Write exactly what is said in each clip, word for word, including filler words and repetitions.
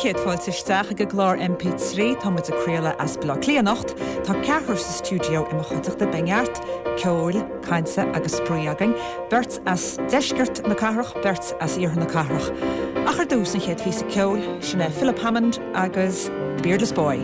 chéad fáilte isteach ag an gclár MP trí tá muid ag craoladh as Baile Átha Cliath anocht, tá ceathrar sa stiúideo i mo chuideachta beidh neart ceoil, cainte agus spraoi againn, beirt as deisceart na cathrach, beirt as iarthar na cathrach. Ach ar dtús an chéad phíosa ceoil, sin é Philip Hammond agus The Beardless Boy.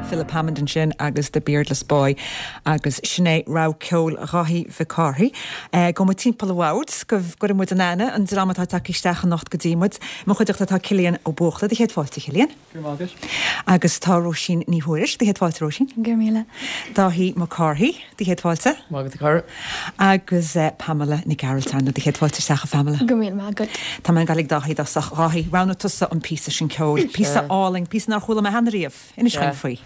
Philip Hammond ansin agus The Beardless Boy agus sin é rogha ceoil Dháithí Mhic Cárthaigh. Eh, Gabhfaidh muid timpeall an bhoird go gcuirfidh muid in aithne an dream atá tagtha isteach anocht go dtí muid. Mo chuideachta tá Cillian Ó Buachalla do chéad fáilte Cillian. Agus tá Róisín Ní Thuairisg do chéad fáilte Róisín. Gur míle. Dáithí Mac Cárthaigh do chéad fáilte. Maith agat a chara. Agus eh, Pamela Nic Gearailt do chéad fáilte isteach a Pamela. Go míle maith agat. Tá mé ag gabháil ag Dáithí i dtosach Dáithí roghnaigh tusa an píosa sin ceoil, píosa álainn, píosa nár chuala mé cheana riamh, inis dúinn faoi.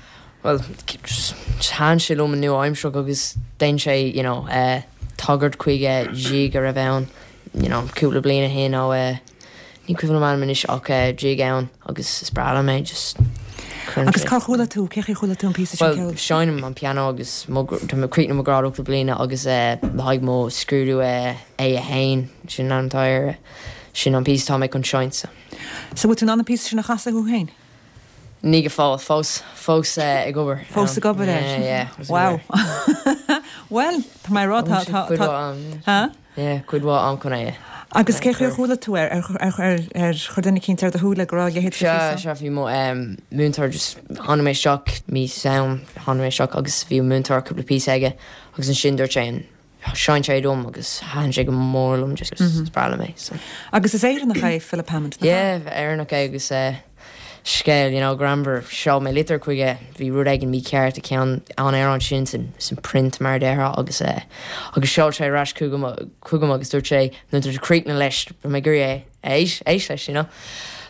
Well, thaitin sé liom an nua-aimsearach agus déanann sé you know, uh, tagairt chuig gig a raibh ann you know, cúpla bliain ó shin ó uh, ní cuimhin liom anois ach uh, gig ann agus is breá liom é just Agus cá chuala tú cé chuala tú an píosa sin Well, ceoil? seinnim an piano agus tá mé críochnaithe mo ghrád ochtú bliana agus uh, le haghaidh mo scrúdú uh, A a haon sin an tíir sin an píosa tá mé chun seinnt. So bhfuil tú an píosa sin a chasadh thú féin? Ní go fóill fós fós uh, ag obair. Fós ag obair air. Yeah, yeah, Wow. Well, tá mé rá tá tá cuid mhaith am chun é. Agus cé chuir chuala tú ar ar ar ar chuir duine eicínt ar do shúile go raibh leithéid Se se bhí mo múinteoir just tháinig mé isteach mí sam tháinig mé isteach agus bhí múinteoir cúpla píosa aige agus ansin dúirt sé sheinn sé dom agus thaitin sé go mór liom just is breá liom é. So. Agus is Éireannach é Philip Hammond. nach Yeah, Éireannach é agus uh, scéal you know, greannmhar sheol mé litir chuige bhí rud éigin mícheart i ceann an ar an sin sin sin print mar déarfá agus uh, agus sheol sé ar ais chugam chugam agus dúirt sé nuair tú críochnaithe leis mé gur é éis éis leis you know.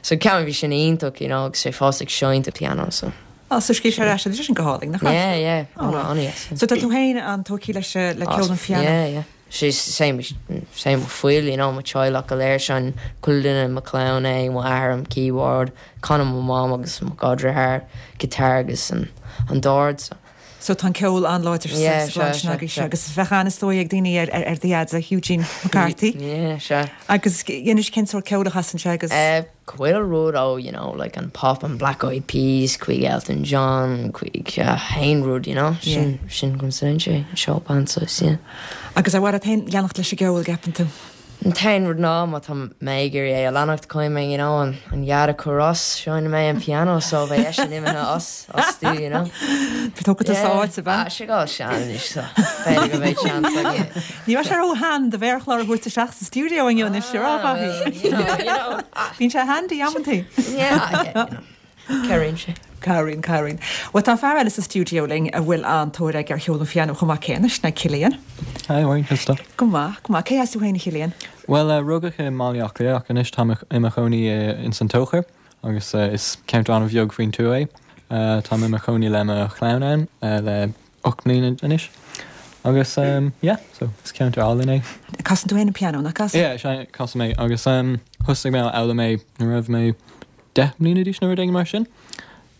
So cean bhí sin iontach you know, agus sé fós ag seinnt an piano so. Ah, so scríobh sé ar ais sin go hálainn nach Yeah, yeah, Oh. an an yes. So tá tú féin an-tógtha leis le ceol an phianó. Yeah, yeah. Sé sé mo fuil you know mo teaghlach go léir sin chuile duine mo chlann é mo athair an keyboard canann mo mam agus mo dheartháir guitar agus an an dord so. So tá ceol an-láidir agus agus bheadh an-tóir ag daoine ar ar do dhaid Eugene McCarthy. Yeah, sea. Agus inis cén sórt ceol a chasann sé agus. Uh, Chuile rud ó you know like an pop and Black Eyed Peas chuig Elton John chuig uh, haon rud you know sin sin go sé seo band so yeah. Agus ar mhaith leat féin leanacht leis an gceol gceapann tú. An t-aon rud ná má tá mé ag iarraidh é a leanacht caithfidh mé you know an an dhaid a chur as seinneann mé an piano so bheidh eisean imithe as astu you know. Tógfaidh tú sáit a bheith. sé gá sean so b'fhéidir go mbeidh seans aige. Ní bheidh sé ró-shean do mhéarchlár a thabhairt isteach sa stiúideo inniu anois ar Bíonn sé handy amantaí. Yeah, yeah, you know. Cabhraíonn sé. Cabhraíonn cabhraíonn. Well tá fear eile sa stiúideo linn a bhfuil an-tóir aige ar cheol an phianó chomh maith céanna sin é Cillian. Hi, Maureen, Krista. Go maith, go maith. Cé as tú féin a Chillian? Well, uh, rugadh i mBaile Átha Cliath ach anois táim i mo chónaí uh, in san Tóchar agus uh, is ceantar an-bheag faoin tuath é. Uh, táim i mo chónaí le mo chlann ann uh, le ocht mbliana anois. Agus um, yeah, so is ceantar álainn é. Casann tú féin an pianó nach gcasann? Yeah, sé casaim é agus um, thosaigh mé a fhoghlaim é nuair a raibh mé deich mbliana d'aois nó rud éigin mar sin.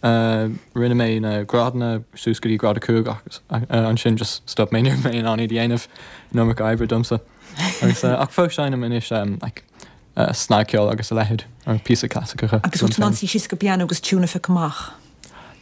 Uh, rinne mé na grádanna suas go dtí grád a cúig agus uh, ansin just stop mé nuair mé in ann iad a dhéanamh an iomarca oibre domsa. Agus uh, ach fós seinnim anois um, like, uh, snagcheol agus a leithéid ar píosa clasaiceacha. Agus bhfuil tú in ann suí síos go pianó agus tune a phiocadh amach.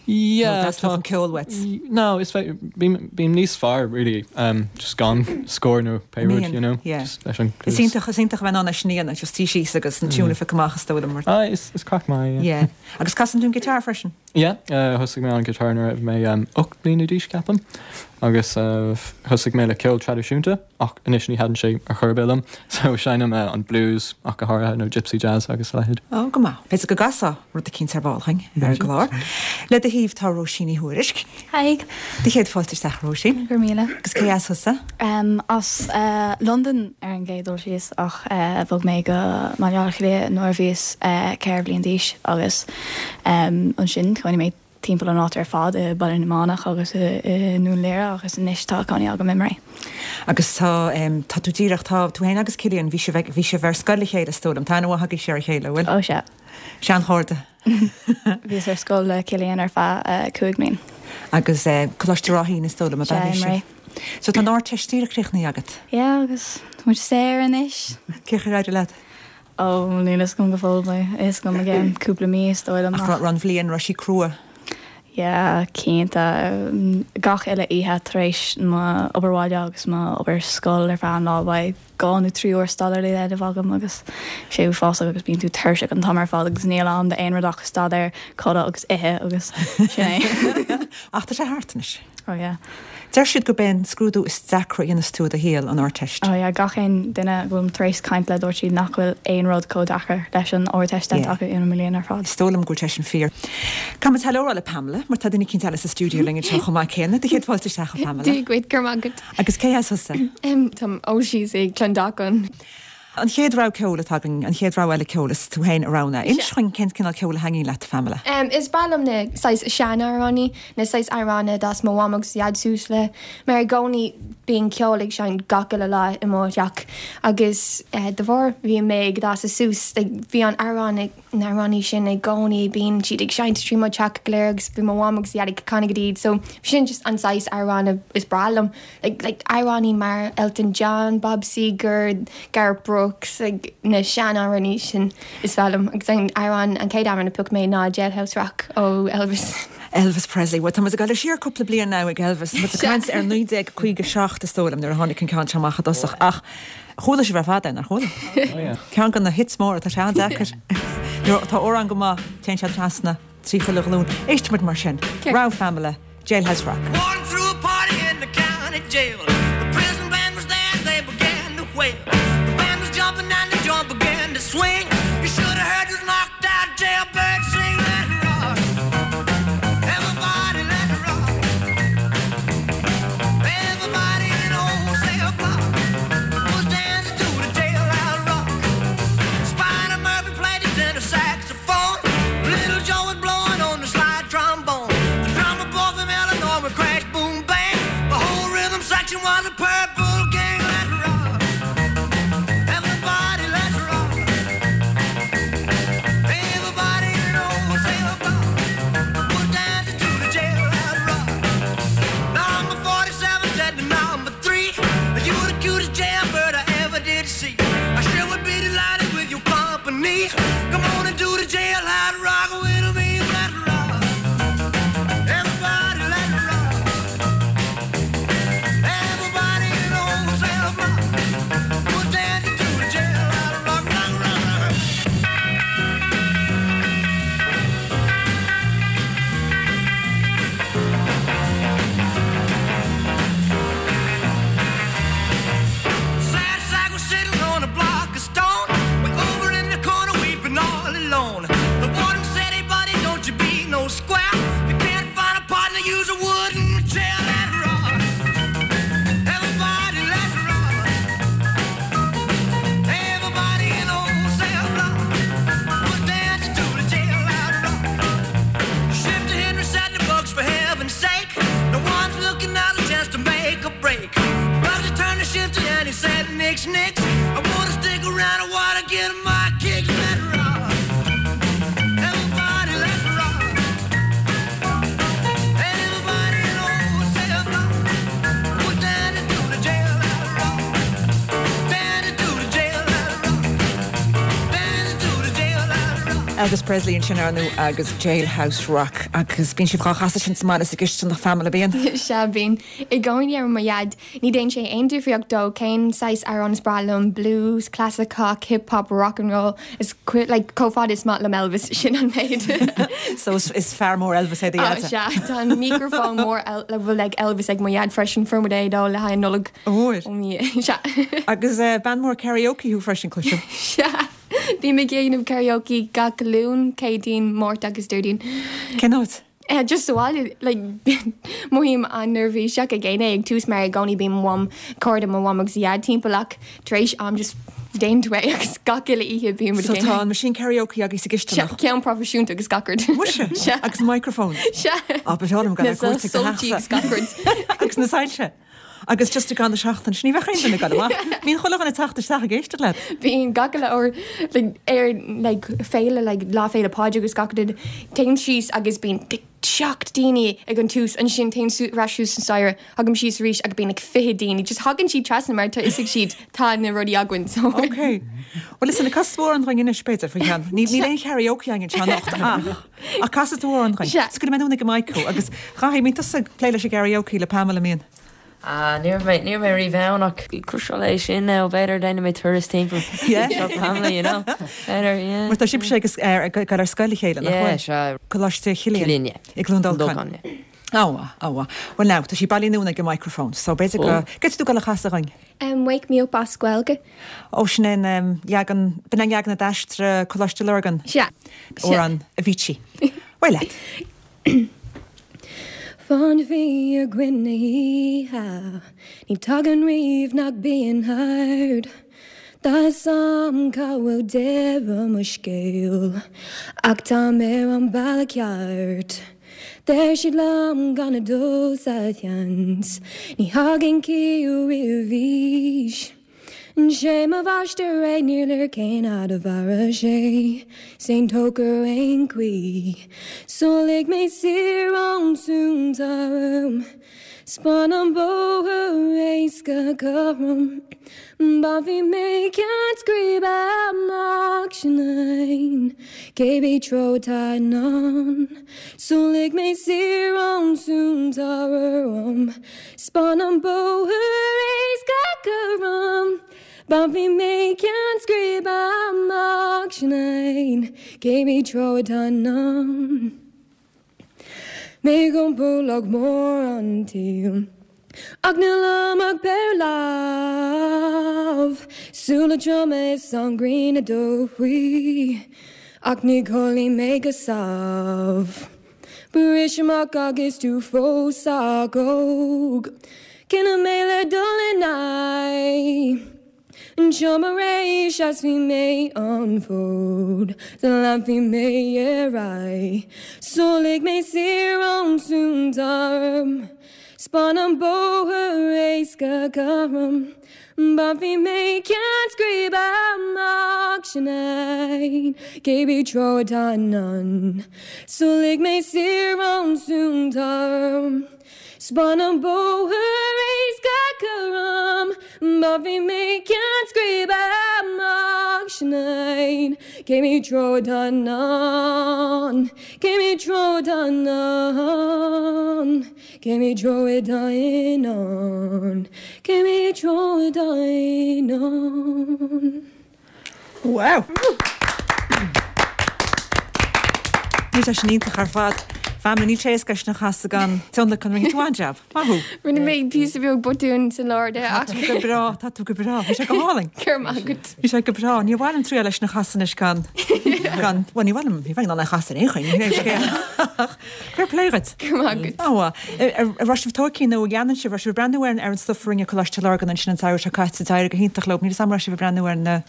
Yeah, That's an ceol uait. No, is bím bím níos fearr really um, just gan score nó pé rud, you know. Yeah. Just leis an Is iontach is iontach bheith in ann é sin a dhéanamh, just suí síos agus an tune a phiocadh amach is dóigh liom mar. Ah, is is craic maith, yeah. Yeah. Agus casann tú an guitar freisin? Yeah, uh, thosaigh mé an guitar nuair a raibh mé um, ocht mbliana d'aois ceapaim agus uh, thosaigh mé le ceol traidisiúnta ach anois ní thaitníonn sé ar chor ar bith liom so seinnim uh, an blues ach go háirithe nó gypsy jazz agus a leithéid. Ó go maith. B'fhéidir go gcasfá rud eicínt ar ball chugainn ar an gclár. Le do thaobh tá Róisín Ní Thuairisg. Hi. Do chéad fáilte isteach Róisín. Gur míle. Agus cé as thusa? Um, as uh, London ar an gcéad dul síos ach uh, bhog mé go Baile Átha Cliath nuair a bhíos uh, ceithre bliana d'aois agus um, ansin chónaigh mé timpeall an áit ar fad i Baile na Manach agus i, i nDún Laoghaire agus anois tá cónaí agam i mBré. Agus tá um, tá tú díreach tá tú féin agus Cillian bhí sibh bhí sibh ar scoil le chéile is dóigh liom tá aithne agaibh ar a chéile bhfuil? Ó sea. Seanchairde. Bhíos ar scoil le Cillian ar feadh uh, cúig mbliana. Agus uh, Coláiste Ráithín is dóigh liom a Sea, bhí i mBré. So tá an Ardteist díreach críochnaithe agat. Yeah, agus tá muid saor anois. Cén chaoi ar éirigh leat? Ó níl a fhios agam go fóill beidh a fhios agam i gceann cúpla mí is dóigh liom. Ach an bhliain raibh sí crua. Yeah, cinnte gach uile oíche tar éis mo obair bhaile agus mo obair scoil ar feadh an lá beidh dhá nó trí uair staidéir le déanamh agam agus sé uafásach agus bíonn tú tuirseach an t-am ar fad agus níl am d'aon rud ach staidéar codladh agus ithe agus sin é. Ach tá sé thart anois. Oh yeah. Deir siad gurb é an scrúdú is deacra a dhéanas tú i do shaol an Ardteist. Oh yeah, gach aon duine go bhfuil tar éis caint le dúirt siad nach bhfuil aon rud chomh deacair leis an Ardteist Yeah. acu ina mbliana ar fad. Is dóigh liom go bhfuil sé sin fíor. Caithfidh muid hello a rá le Pamela, mar tá duine eicínt eile sa stiúideo linn anseo chomh maith céanna, do chéad fáilte isteach a Pamela. Dia dhuit go raibh maith agat. Agus cé as thusa? Um, Táim ó síos ag Clondalkin. An chéad rogha ceoil atá againn, an chéad rogha eile ceoil is tú féin a roghnaigh. Inis dúinn cén cineál ceoil a thaitníonn leat Pamela. Um, is breá liom na saghas seanamhráin, na saghas amhráin a d'fhás mo mham agus dhaid suas le, mar i gcónaí bíonn ceol ag seinnt gach uile lá i mo theach agus uh, de bharr bhí mé ag fás suas like, bhí an amhrán ag na hamhráin sin i gcónaí bíonn siad ag seinnt trí mo theach go léir agus bhí mo mham agus dhaid ag canadh iad so sin just an saghas amhrán is breá liom like, like amhráin mar Elton John, Bob Seger, Garth Brooks like, na seanamhráin sin is fearr liom agus an amhrán an chéad amhrán a phioc mé ná Jailhouse Rock ó Elvis. Elvis Presley, Well, tá muid ag dul siar cúpla bliain now ag Elvis, Mu caint ar naoi déag caoga seacht is dóigh liom nuair a tháinig an ceann seo amach i dtosach ach chuala sibh ar fad é, ar chuala. Oh, yeah. Ceann de na hits móra tá sé an-deacair. Nuair atá amhrán go maith téann sé trasna trí chuile ghlúin. Éistfimid mar sin. Rogha Pamela, Jailhouse Rock. Warden threw a party in the county jail. The prison band was there and they began to wail. The band was jumping and the joint began to swing. You should have heard this knocked out jailbird sing. Let it rock. Everybody let it rock. Everybody in old cell block was dancing to the jailhouse rock. Spider Murphy played his tenor saxophone. Little Joe was blowing on the slide trombone. The drummer boy from Illinois would crash, boom, bang. The whole rhythm section was a purple gang. Let it rock. Elvis Presley ansin ar ndóigh agus Jailhouse Rock agus bíonn sibh á chasadh sin sa mbaile sa gcisteanach Pamela bíonn. Sea bíonn i gcónaí ar mo dhaid ní déanann sé aon difríocht dó cén saghas amhrán is breá liom blues, clasaiceach, hip hop, rock and roll is like chomh fada is maith liom Elvis sin an méid. So is, is fear mór Elvis é do Oh, sea tá an microphone mór el le bhfuil ag Elvis ag mo dhaid freisin fuair muid é dó le haghaidh Nollag. Óir. Sea. Agus uh, bean mór karaoke thú freisin cloisim. Sea. Bím ag déanamh karaoke gach Luan, Céadaoin, Máirt agus Déardaoin. Cén áit? Uh, just sa bhaile like mothaím an-neirbhíseach ag déanamh ag tús mar i gcónaí bíonn mam cairde mo mham agus dhaid timpeall ach tar éis am just déan tú é agus gach uile oíche bím So tá an machine karaoke agus sa gcisteanach. Ceann proifisiúnta agus gach rud. Muise agus microphone. Sea. Á ba am gan Na agus gach rud. Agus na soilse. Agus just gan seachtain ní bheith duine gan amach. Bíonn chuile dhuine ag teacht isteach ag éisteacht leat. Bíonn gach uile uair like, ar like, féile like, lá féile Pádraig agus gach rud téim síos agus bíonn seacht daoine ag an tús ansin téim ar ais suas an staighre tagaim síos arís agus bíonn like, fiche daoine, just thagann siad trasna mar tá fhios ag siad tá na rudaí againn so. Ok. Well is ina cas amhrán dúinn anois b'fhéidir faoi cheann. Ní ní aon karaoke againn anseo anocht ach ach casfaidh tú amhrán dúinn. Sea. Scaoilfidh mé anonn ag an mic thú agus chaithfidh mé tusa ag plé leis an karaoke le Pamela míon. Ah, ní mé ní mé rí bhean ach cruisiil é sin ná b'fhéidir déanfaidh mé turas timpeall Yeah. seo Pamela, you know. B'fhéidir, yeah. Mar tá sibh sé agus ar ag ar scoil le chéile Yeah, sea. Coláiste Chillian Chillian, yeah. i gCluain Dolcáin. Dolcáin, yeah. Áha, áha. Well now, tá sí bailithe anonn ag an microphone, so b'fhéidir go get tú go le chasadh dúinn. Um, wake me up as Gaeilge. Ó sin an um, leagan b'in an leagan a d'aistrigh Coláiste Lurgan Sea. amhrán Avicii. Well leat. Fán bhí a gcuine ní tagann riomh nach bíonn hard. Tá sam cá bhfuil deireadh mo scéil, ach tá mé ar an bealach ceart. Deir siad liom gan a dul sa tseans, ní thagann ciall roimh aois. Sé mo mháistir é níor léir cén fhad a mhairfidh sé, 's é an tóchar ar aon chaoi. So lig mé saor ón sún orm, 'S bain an bóthar éasca cothrom, Bainfidh mé ceann scríbe amach sin Cébí treo atá i ndán. So lig mé saor ón sún orm, 's bain an bóthar éasca cothrom. Bainfidh mé ceann scríbe amach sin Cébí treo atá i ndán. Mé ag iompú log mór an tsaoil. Ach níl agam ach péire lámh, Súile troma is an ghrian ag dul faoi, Ach ní chodlaím mé go sámh. Bris amach agus tú fós sách óg, Cinneadh mé le dul in aghaidh. Seo mo ré seasfaidh mé an fód, 's leanfaidh mé ar aghaidh. So lig mé saor ón sún orm, 's bain an bóthar éasca cothrom. Bainfidh mé ceann scríbe amach sin Cébí treo atá i ndán. So lig mé saor ón sún orm, 's bain an bóthar éasca cothrom. Bainfidh mé ceann scríbe amach sin Cébí treo atá i ndán. Cébí treo atá i ndán. Cébí treo atá i ndán. Cébí treo atá i ndán. Wow! Ní sin iontach ar fad. Pamela níl sé éasca sin a chasadh gan tionlacan rinne tú an-jab. Maith thú. Rinne mé píosa beag botún san lár de Tá ach tú go breá, tá tú go breá, Bhí sé go hálainn. Cur agat. Bhí sé go breá, ní bhfuil trí leis na chasan gan gan well, ní bhfuil ní bheith an chasan aon Fair play duit. Cur agat. Á raibh sibh tógtha nó dhéanann sibh raibh sibh ag breathnú ar ar an stuff a rinne Coláiste Lurgan ansin an samhradh seo caite d'éirigh go hiontach leo, níl sam raibh sibh ag breathnú ar na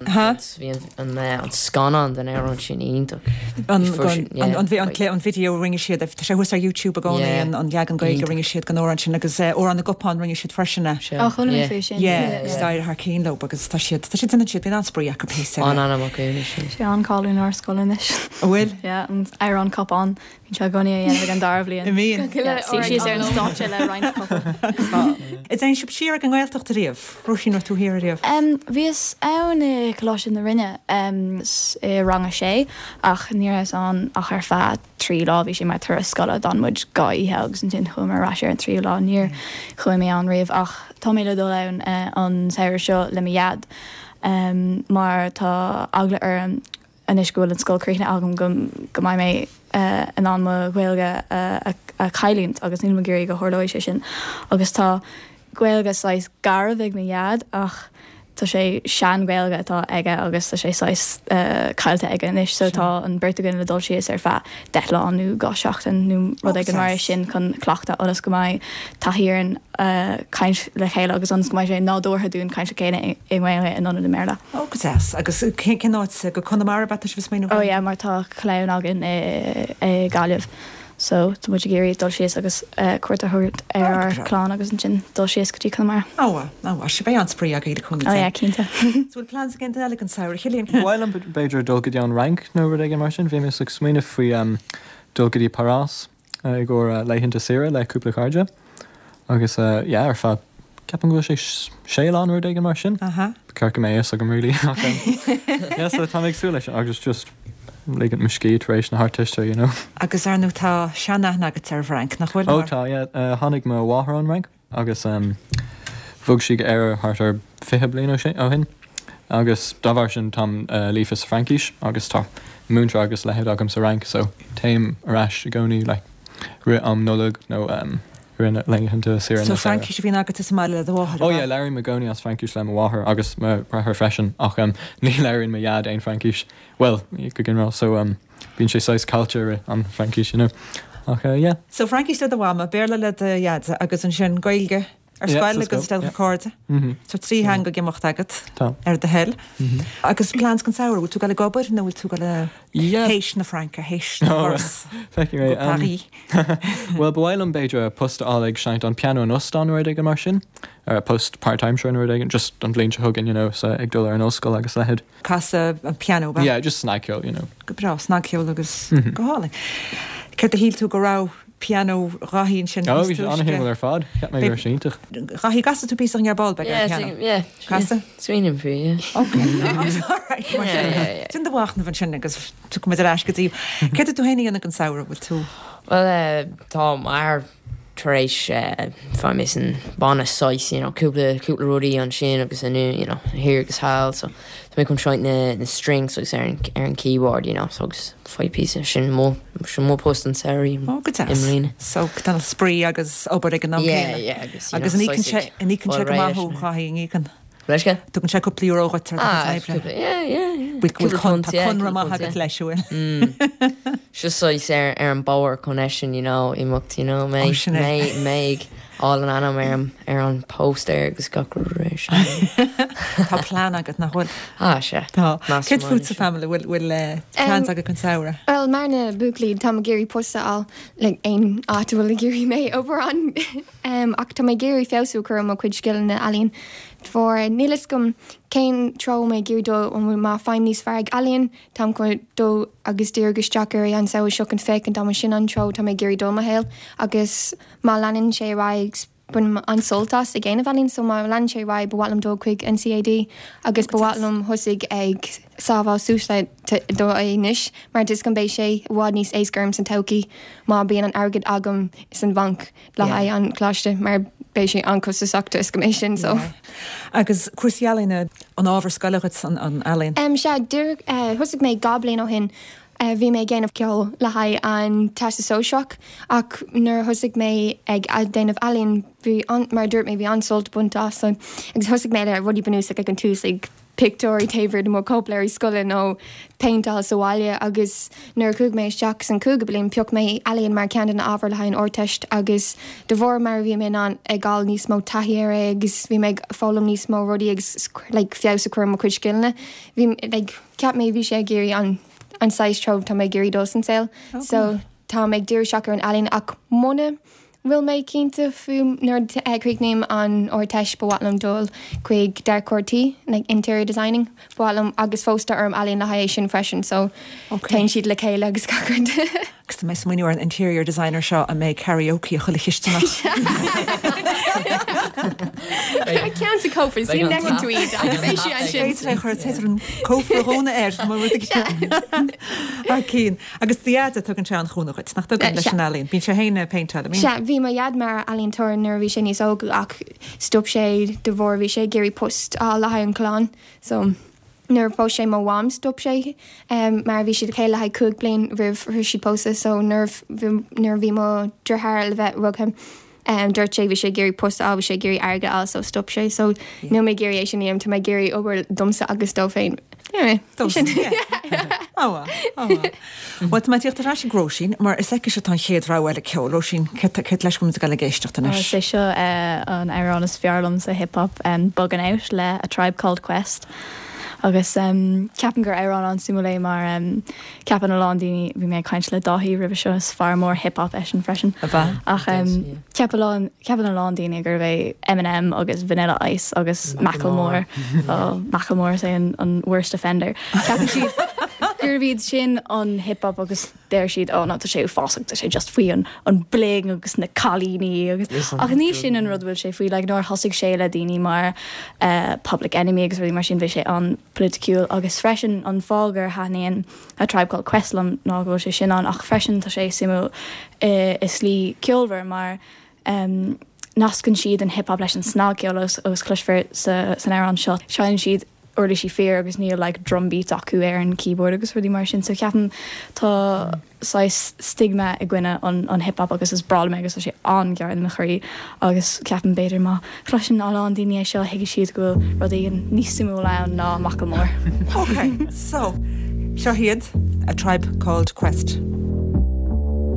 Ha? Bhí an, an, eh, an scannán den amhrán sin iontach. An Fuair sin- yeah, an an an video rinne siad tá sé thuas ar YouTube i gcónaí Yeah. an an leagan Gaeilge Iontach. rinne siad den amhrán sin agus eh, amhrán na gcupán rinne siad freisin é. Sure. Á chuala mé Yeah. faoi sin. Yeah, agus d'éirigh thar cinn leo agus tá siad tá siad ina siad bíonn an-spraoi acu pé An anam acu sin. Sé an-cháiliúil inár scoil anois. An bhfuil? Yeah, an amhrán cupán bhíonn sé i gcónaí a dhéanamh ag an dara bhliain. I mbíonn. Yeah, suí síos ar an stáitse le roinnt cupán. Is ein sib siar ag an nGaeltacht riamh, Róisín raibh tú thiar riamh. Um, Bhíos ann i Coláiste na Rinne um, i rang a sé ach ní rabhas ann ach ar feadh trí lá bhí sé mar turas scoile d'fhan muid dhá oíche agus ansin chuamar ar ais ar an tríú lá níor chuaigh mé ann riamh ach tá mé le dul ann uh, an samhradh seo le mo dhaid um, mar tá eagla orm anois go bhfuil an scoil críochnaithe agam go go mbeidh mé uh, in ann mo Ghaeilge uh, a, a chailliúint agus níl mé ag iarraidh go dtarlóidh sé sin agus tá Gaeilge saghas garbh ag mo dhaid ach tá sé sean-Ghaeilge atá aige agus tá sé saghas uh, caillte aige anois so tá an bheirt againn le dul síos ar feadh deich lá nó dhá seachtain nó rud éigin mar sin chun cleachtadh ionas go mbeidh taithí orainn uh, caint le chéile agus ionas go mbeidh sé nádúrtha dúinn caint le chéile i nGaeilge in ionad i mBéarla. Ó go deas agus cén áit go Conamara ba sibh smaoineamh? Ó yeah, mar tá clann againn i, i Gaillimh. So tá muid ag iarraidh dul síos agus uh, cuairt a thabhairt ar Ó, ár go breá. clann agus ansin dul síos go dtí Conamara. Ó ó sé beidh an-spraoi agaibh le cúnamh Ó yeah, cinnte. So bhfuil plans againn eile an samhradh Cillian? Bhfuil an b'fhéidir dul go dtí an Fhrainc nó rud éigin mar sin, bhí mé ag smaoineamh faoi um, dul go dtí Paris uh, i gcomhair uh, laethanta saoire le cúpla cairde. Agus uh, yeah, ar feadh ceapaim go bhfuil sé sé lá rud éigin mar sin. Aha. Ceart go mbeidh agam really. Ach, um, yeah, so tá mé ag súil leis agus just ligint mo scíth tar éis na hArdteiste, you know. Agus ar nó tá seanaithne agat ar Fhrainc nach bhfuil? Ó tá yeah, uh, tháinig mo mháthair ón Fhrainc agus um, bhog sí go Éire thart ar fiche bliain ó sé ó shin. Agus dá bharr sin táim uh, líofa sa Fhraincis agus tá múinteoir agus leithéid agam sa Fhrainc, so téim ar ais i gcónaí like, rith am Nollag nó um, rith laethanta saoire So Fraincis a bhíonn agat sa mbaile le do mháthair. Oh yeah, labhraím i gcónaí as Fraincis le mo mháthair agus mo dheartháir freisin ach um, ní labhraíonn mo dhaid aon Fraincis. Well, go ginearálta so um, bíonn sé saghas culture an Fraincis, you know. Ach uh, yeah. So Fraincis le do mhama, Béarla le do dhaid agus ansin Gaeilge ar Yeah, scoil sa agus scoil, del yeah. cairde. Mm -hmm. So trí theanga ag imeacht agat Tá. ar do thoil. Mm -hmm. Agus plans don samhradh, bhfuil tú ag dul ag obair nó bhfuil tú ag dul Yeah. théis na Fraince, théis Oh, Paris, Feicfidh mé, go um, Paris. Well, ba mhaith liom b'fhéidir post a fháil ag seinnt an piano in óstán rud éigin mar sin, ar post part-time sure rud éigin, just an bhliain seo chugainn, you know, so ag dul ar an ollscoil agus leithéid. Casadh an piano ba. Yeah, just snagcheol, you know. Go breá snagcheol agus Mhm. go hálainn. Céard a shíl tú go raibh piano Dháithí sin Oh, bhí sé an-shuimiúil ar fad, Cheap mé Bhí- gur siontach. Dháithí gcasfaidh tú píosa ar ball beag ar Yeah, piano. think- yeah. Casadh? Smaoiním faoi, yeah. Okay. Alright, mar Yeah, sin. yeah, yeah. Sin do mhachnamh ansin agus tiocfaimid ar ais go dtí. Céard atá tú féin a dhéanamh an samhradh bhfuil tú? Well, uh, tá mar tar éis uh, fá mé san banna saghas, you know, cúpla cúpla rudaí ansin agus anu, you know, thiar agus thall, so tá mé chun seinnt na, na strings agus ar an, ar an keyboard, you know, so agus faoi píosa sin mo sin mo post an samhradh Ó, go i deas. mbliana. So tá spraoi agus obair ag an am Yeah, céanna. yeah, agus, you Agus know, an íocann sé saghas an íocann sé fáil go réidh maith leis na- Dháithí an íocann. Leisce? Tugann sé cúpla euro dhuit ar Ah, do chuid oibre. cúpla- yeah, yeah, yeah. Bhfuil Cúpla con- punt, tá yeah, conradh cúpla maith punt, agat yeah. leis bhfuil. Just saghas ar ar an bóthar connection, you know, imeacht, you know, mé Oh, sin é. mé mé all an ainm ar an ar an poster agus gach rud sin. Tá plean agat nach bhfuil. Ah, sé. Tá. Mastermind Céard fútsa sin. family bhfuil bhfuil eh, plans Um, agat an samhradh. Well, mar na buachaillí tá ag iarraidh post a fháil le aon áit a bhfuil ag iarraidh mé obair ann um, ach tá mé ag iarraidh feabhsú a chur ar mo chuid scileanna ealaíon. For níl a fhios agam cén treo mé ag iarraidh dul an bhfuil má fhaighim níos fearr ag ealaíon, Táim chun dul agus díriú isteach ar an samhradh seo chun féachaint am sin an treo tá mé ag iarraidh dul mo shaol agus má leanann sé ar aghaidh bainim an-sult as ag déanamh ealaíon, so má leanann sé ar aghaidh ba mhaith liom dul chuig NCAD agus ba mhaith liom thosaigh ag sábháil suas le dó anois, mar is go mbeidh sé i bhfad níos éasca orm san todhchaí má bhíonn an airgead agam san bhanc le Yeah. haghaidh an choláiste mar beidh sé an-chostasach is go méid sin so. Agus cúrsaí ealaíne an ábhar scoile agat an an ealaín. Um, sea dúr uh, thosaigh mé dhá bliain ó shin uh, bhí mé ag déanamh ceol le haghaidh an Teastas Sóisearach ach nuair a thosaigh mé ag a déanamh ealaíon bhí an, mar dúirt mé bhí an-sult bainte as so, agus thosaigh mé le rudaí bunúsach ag an tús ag pictiúirí taobh de mo cóipleabhair scoile nó péinteáil sa bhaile agus nuair a chuaigh mé isteach san cúigiú bliain phioc mé ealaíon mar ceann de na ábhair le haghaidh an Ardteist agus de bharr mar bhí mé an ag fáil níos mó taithí air é agus bhí mé ag foghlaim níos mó rudaí agus like, feabhas a chur mo chuid scileanna. Bhí like, ceap mé bhí sé ag iarraidh an an saghas treo tá mé ag iarraidh dul san saol. Oh, So tá ag díriú isteach ar an ealaín ach muna bhfuil mé cinnte faoi nuair a chríochnaím an Ardteist ba mhaith liom dul chuig dearcóir tí like interior designing ba mhaith liom agus fós tá orm ealaín le haghaidh sin freisin so téann siad le chéile agus gach rud. Agus tá mé smaoineamh ar an interior designer seo a mbeidh karaoke a chuile chisteanach. Ceann sa cófra sí nean tweet Féidir an cófra dhóna air a cín. Agus do dhaid tugann sé an cúnamh duit nach tugann leis an ealaín. Bíonn sé féin ag péinteáil. Se bhí mo dhaid mar ealaíontóir nuair a bhí sé níos óga ach stop sé de bharr bhí sé ag iarraidh post a le haghaidh an chlann so nuair a phós sé mo mham stop sé um, mar bhí siad chéile le haghaidh cúig bliain roimh roimh siad pósadh so nuair nuair bhí mo deartháir le bheith rugtha um, dúirt sé bhí sé ag iarraidh post a bhí sé ag iarraidh airgead a fháil so stop sé so níl mé ag iarraidh é sin a dhéanamh tá mé ag iarraidh obair domsa agus dó féin. Anyway, sin. Well tá mé tíocht ar ais ag Róisín mar is aici atá an chéad rogha eile ceoil Róisín cé leis go ag éisteacht anois. Is é seo an amhrán is fearr liom sa hip hop um, Buggin' Out le A Tribe Called Quest. Agus um, ceapaim gur amhrán an-suimiúil é mar um, ceapann a lán daoine bhí mé ag caint le Dáithí roimhe seo is fear mór hip hop eisean freisin. Ach um, ceapann a ceapann a lán daoine gurb é Eminem agus Vanilla Ice agus Macklemore oh, Macklemore is é an, an worst offender. Ceapann siad gurb iad sin an hip hop agus deir siad ó ná tá sé uafásach tá sé just faoi an an bling agus na cailíní agus ach ní sin an rud bhfuil sé faoi like, nuair thosaigh sé le daoine mar uh, Public Enemy agus rudaí mar sin bhí sé an-pholaitiúil agus freisin an fáth gur thaitníonn A Tribe Called Quest liom ná go bhfuil sé sin an ach freisin tá sé suimiúil uh, i slí ceolmhar mar um, nascann siad an hip hop leis an snagcheol agus, agus cloisfear sa, san amhrán seo. Seinneann siad uirlisí fíor agus níl like, drum beat acu ar an keyboard agus rudaí mar sin, so ceapaim tá saghas stigma i gcoinne an, an hip hop agus is breá liom agus tá sé an-ghar do mo chroí agus ceapaim b'fhéidir má chloiseann a lán daoine é seo thuigfidh siad go bhfuil rudaí níos suimiúla ann ná Macklemore. Okay, so seo hiad A Tribe Called Quest.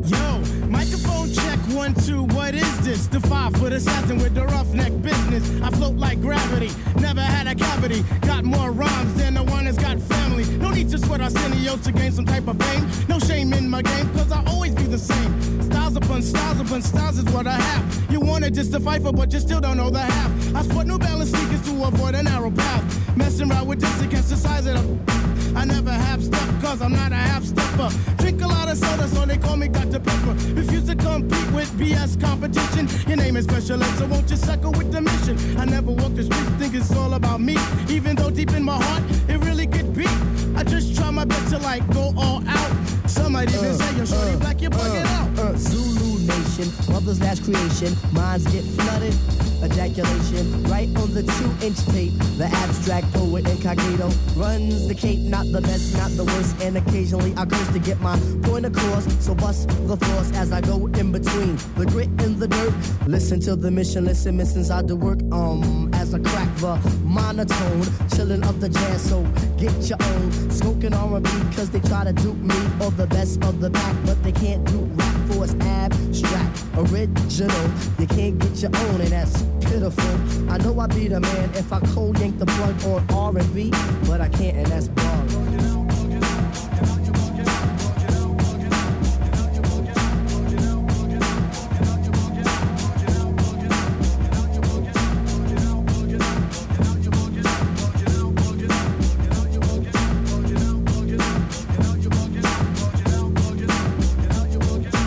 Yo, microphone check one, two, what is this? The five foot assassin with the roughneck business. I float like gravity, never had a cavity. Got more rhymes than the one that's got family. No need to sweat Arsenio to gain some type of fame. No shame in my game, cause I always be the same. Styles upon styles upon styles is what I have. You wanna just to fight for, but you still don't know the half. I sport New Balance sneakers to avoid a narrow path. Messing around with this against the size of the. I never half step cause I'm not a half stepper. Drink a lot of soda, so they call me Doctor Pepper. Refuse to compete with B S competition. Your name is Special Ed, so won't you suckle with the mission? I never walk the street, think it's all about me. Even though deep in my heart, it really could be. I just try my best to like go all out. Some might even uh, say, yo, shorty uh, black, you're bugging uh, out. Uh, Zulu Nation, mother's last creation. Minds get flooded. Ejaculation right on the two-inch tape. The abstract poet incognito runs the cape, not the best, not the worst, and occasionally I curse to get my point across. So bust the force as I go in between the grit and the dirt. Listen to the mission, listen, miss inside the work. Um, as I crack the monotone, chilling up the jazz. So get your own smoking R and B, cause they try to dupe me or the best of the pack, but they can't do rap for it's abstract, original. You can't get your own, and that's pitiful. I know I'd be the man if I cold yank the plug on R and B, but I can't, and that's bug.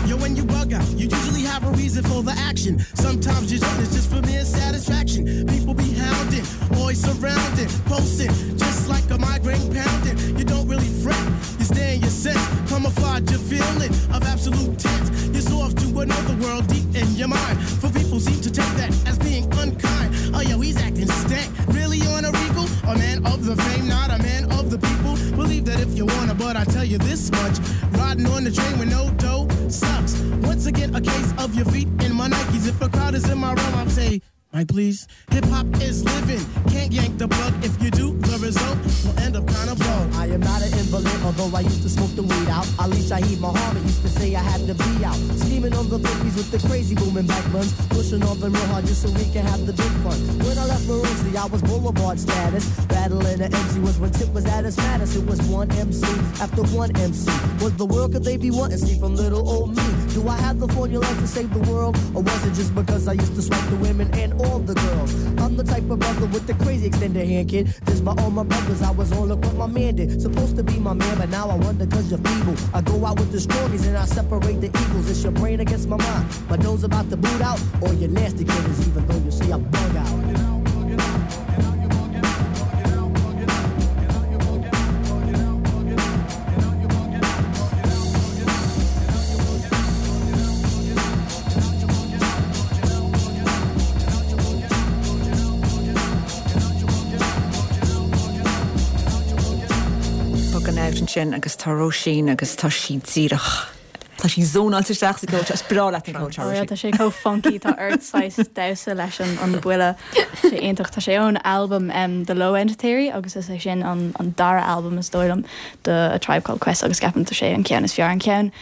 Yo, when you bug out, you usually have a reason for the action. Sometimes you don't, it's just for mere satisfaction. People be hounding, always surrounding, posting, just like a migraine pounding. You don't really fret, you stay in your sense, camouflage your feeling of absolute tense. You're soft to another world deep in your mind. For people seem to take that as being unkind. Oh yo, he's acting stank, really on a regal? A man of the fame, not a man of the people. Believe that if you wanna, but I tell you this much: riding on the train with no dough sucks. Once again, a case of your feet in my Nikes. If a crowd is in my realm, I'm say, Mike, please. Hip hop is living. Can't yank the plug. If you do, the result will end up kind of blow. I am not an invalid, although I used to smoke the weed out. Ali Shaheed Muhammad used to say I had to be out. Scheming on the bookies with the crazy booming back buns. Pushing on the real hard just so we can have the big fun. When I left Marosi, I was boulevard status. Battling the MC was when Tip was at his maddest. It was one MC after one MC. What the world could they be wanting? See from little old me. Do I have the formula to save the world? Or was it just because I used to swipe the women and all the girls? I'm the type of brother with the crazy extended hand, kid. This by all my brothers, I was on look what my man did. Supposed to be my man, but now I wonder cause you're feeble. I go out with the strongies and I separate the eagles. It's your brain against my mind. My nose about to boot out, or your nasty killers, even though you see I bug out. Buggin' Out ansin agus tá Róisín agus tá sí díreach. Tá sí zónáilte isteach sa gceol, is breá leat an ceol Oh, yeah, tá sé chomh funky tá ort saghas damhsa leis an an buille sé iontach tá sé ón album um, The Low End Theory agus is é sin an, an dara album is dóigh liom de A Tribe Called Quest agus ceapaim tá sé an ceann is fearr an ceann.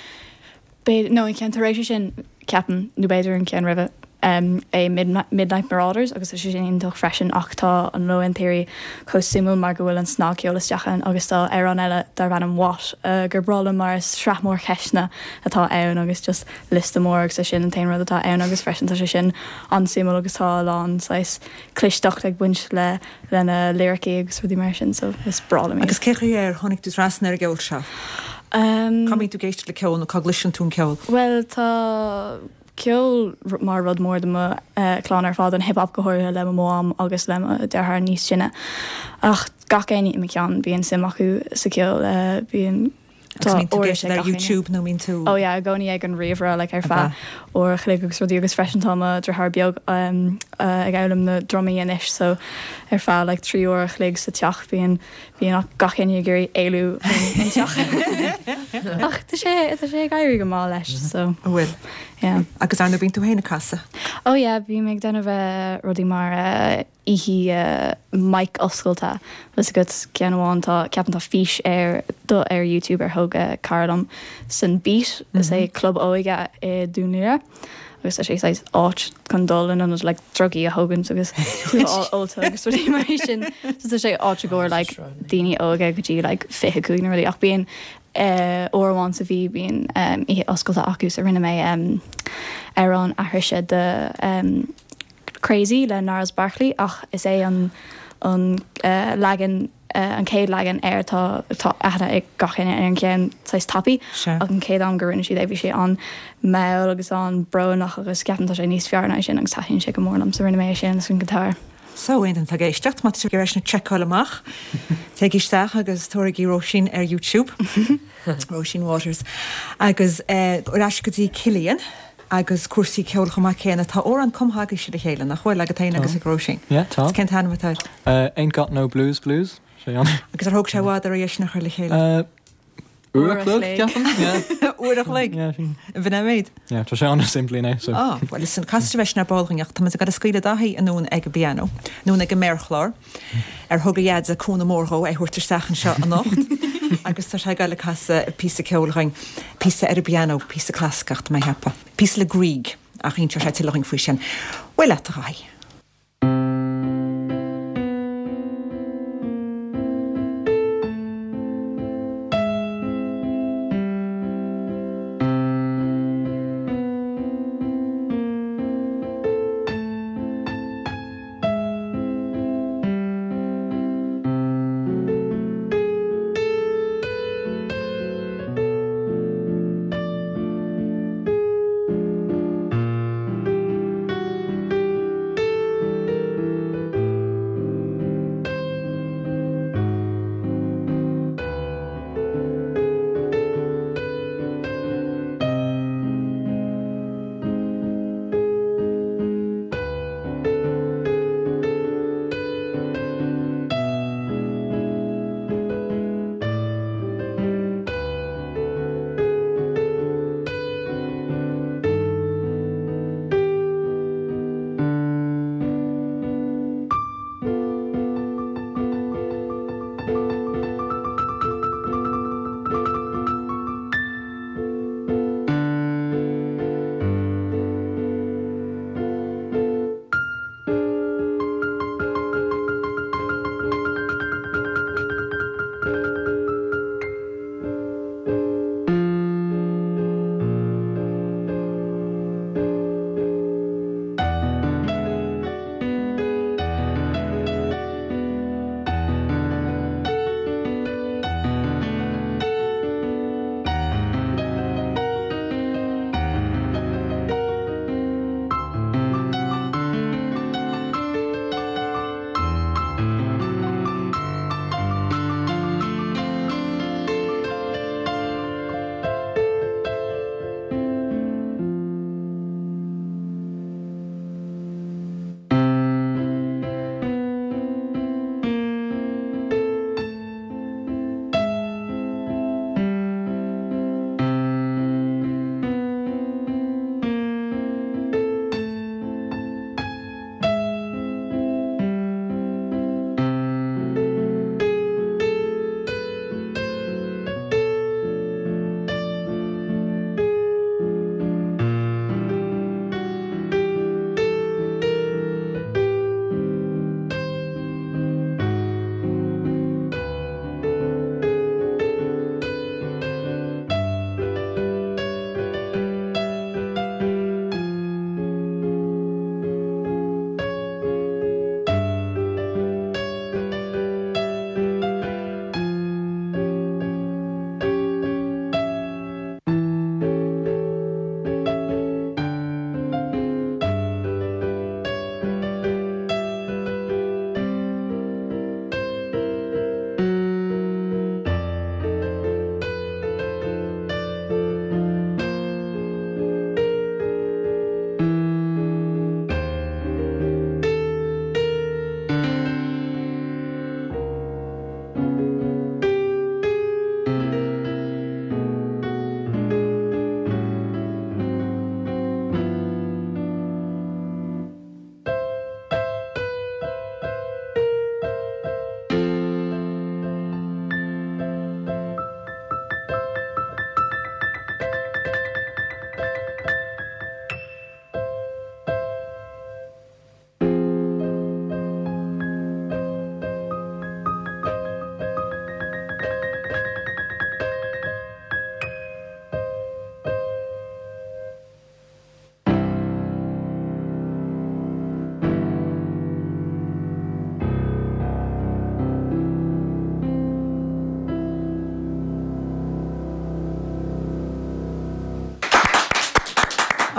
B'fhéidir nó an ceann tar éis sin ceapaim nó b'fhéidir an ceann roimhe um, é Midnight, Midnight Marauders agus is sé sin iontach freisin ach tá an Low End Theory chomh suimiúil mar go bhfuil an snagcheol isteach ann agus tá amhrán eile darb ainm What uh, gur breá liom mar is sraith mór ceisteanna atá ann agus just liosta mór agus é sin an t-aon rud atá ann agus freisin tá sé sin an-suimiúil agus tá a lán saghas clisteacht ag baint le lena lyricí agus rudaí mar sin so is breá liom iad. Agus cé chaoi ar tháinig tú trasna ar an gceol seo? Um, Cá mbíonn tú ag éisteacht le ceol nó cá gcloiseann tú an ceol? Well tá ceol r- mar rud mór do mo uh, chlann ar fad an hip-hop go háirithe le mo mham agus le mo deartháir níos sine. Ach gach éinne i mo chlann bíonn suim acu sa ceol uh, bíonn Agus mbíonn tú uirlis ag éisteacht ag ar gach éinne. YouTube nó mbíonn tú Ó yeah, i gcónaí ag an ríomhaire like, ar feadh uair a chloig agus rudaí agus freisin tá mo deartháir beag um, uh, ag foghlaim na drumaí anois so ar feadh like, trí uair a chloig sa teach bíonn bíonn gach éinne ag iarraidh éalú an teach. Ach tá sé tá sé ag éirí go maith leis so bhfuil. yeah. Agus ar bíonn tú féin ag casadh. Ó yeah, bím ag déanamh uh, rudaí mar uh, oíche uh, mic oscailte Is go ceann amháin tá ceapaim tá fís ar do ar YouTube ar thóg uh, cara liom san Beat is é club óige i Dún Laoghaire agus tá sé saghas áit chun dul in ionad like drugaí a thógaint agus ólta agus rudaí mar sin so tá sé áit i gcomhair like daoine óga go dtí like fiche cúig nó rudaí ach bíonn uh, uair amháin sa mhí bíonn um, oíche oscailte acu so rinne mé um, amhrán aithrise de um, Crazy le Gnarls Barkley ach is é an an uh, leagan uh, an chéad leagan air tá tá aithne ag gach éinne ar an ceann saghas tapaidh Sure. ach an chéad am gur rinne siad é bhí sé an-mhall agus an-bhrónach agus ceapaim tá sé níos fearr ná sin agus taitníonn sé go mór liom so rinne mé é sin an guitar. So aon tá éisteacht má tú leis na seiceáil amach. Téigh isteach agus tabhair Róisín ar YouTube. Róisín Waters. Agus eh, ar ais go dtí Cillian agus cúrsaí ceoil chomh maith céanna tá amhrán cumtha agaibhse le chéile nach bhfuil agat féin agus ag Róisín. Yeah, tá. Cén t-ainm atá air? Uh, ain't got no blues blues. Sé an. Agus ar thóg sé i bhfad oraibh é sin a chur le chéile. Uh, Uair Uair a a chlog, chloig. ceapaim? Yeah. Uair a chloig Yeah, sin. Bhí méid. Yeah, tá sé an-simplí né, so. Ah, well is an casta bheits na ballringeach tá go scaoile Daithí anonn ag an bpianó, nó ag an méarchlár ar thug a dhaid cúnamh mór dó é thabhairt isteach anseo anocht agus tá sé le casadh píosa ceoil dúinn píosa ar an bpianó píosa clasaiceach mé cheapadh. Píosa le Grieg ach inseoidh sé tuilleadh dúinn faoi sin. Bhfuil le a Dhaithí. Thank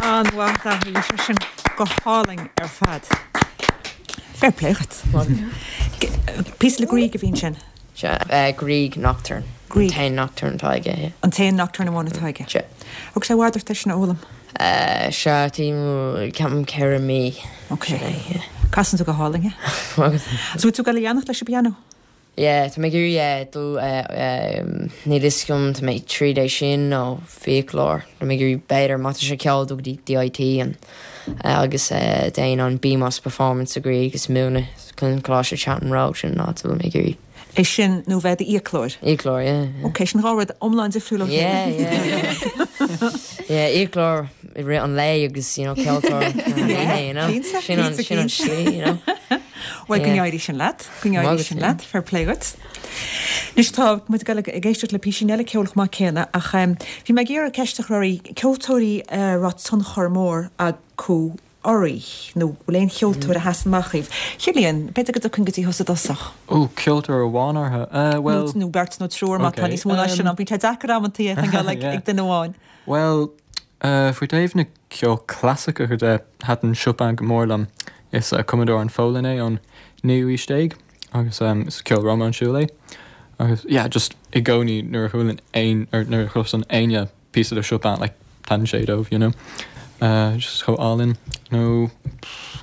An-mhaith, bhí sé sin go hálainn ar fad. Fair play dhuit. Píosa le Grieg a bhí ansin. Sea, Grieg Nocturne. Grieg. An t-aon Nocturne atá aige, yeah. An t-aon Nocturne amháin atá aige. Sea. Thóg sé i bhfad ort é sin a fhoghlaim? Sea, ceapaim ceithre mí. Ok. Sin é, yeah. Casann tú go hálainn é. Agus. So bhfuil tú ag dul a leanacht leis an bpianó? Yeah, tá mé ag iarraidh dul, níl fhios agam, tá mé tríd é sin nó fiaclóir, tá mé ag iarraidh b'fhéidir má tá sé ceal dul go dtí DIT an agus déan an BMus Performance Degree agus múineadh chun Coláiste Chapman Road sin an áit a bhfuil mé ag iarraidh. É sin nó bheith i d'fhiaclóir? Fhiaclóir, yeah, yeah. Ok, sin dhá rud iomlán difriúil ó chéile. Yeah, yeah, yeah. Yeah, fhiaclóir i rith an lae agus, you know, ceoltóir you know. Cinnte, Sin an, cinnte, sin an cinnte. slí, you know. Bhuel, go Yeah. n-éirí sin leat, go n-éirí Maith sin agat, leat, fair play duit. Anois tá muid ag dul ag éisteacht le píosín eile ceoil chomh maith céanna ach um, bhí mé ag iarraidh ceist a chur oraibh, ceoltóirí a raibh tionchar mór acu oraibh nó bhfuil aon cheoltóir a sheasann amach dhaoibh. Cillian, b'fhéidir go dtiocfainn go dtí thusa i dtosach. Ó, ceoltóir amháin orthu. Uh, well, Nó, nó beirt nó triúr má tá Okay, níos mó ná sin um, ann, bíonn sé deacair amantaí a choinneáil ag, Yeah. ag duine amháin. Well, uh, faoi taobh na ceol clasaiceach de thaitin Chopin go mór liom. Is uh, cumadóir an Pholainn é ón naoú haois déag agus um, is ceol rómánsúil é. Agus yeah, just i gcónaí nuair a chualann aon or nuair a chloiseann éinne píosa de Chopin like taitníonn sé dóibh, you know. Uh, just chomh álainn nó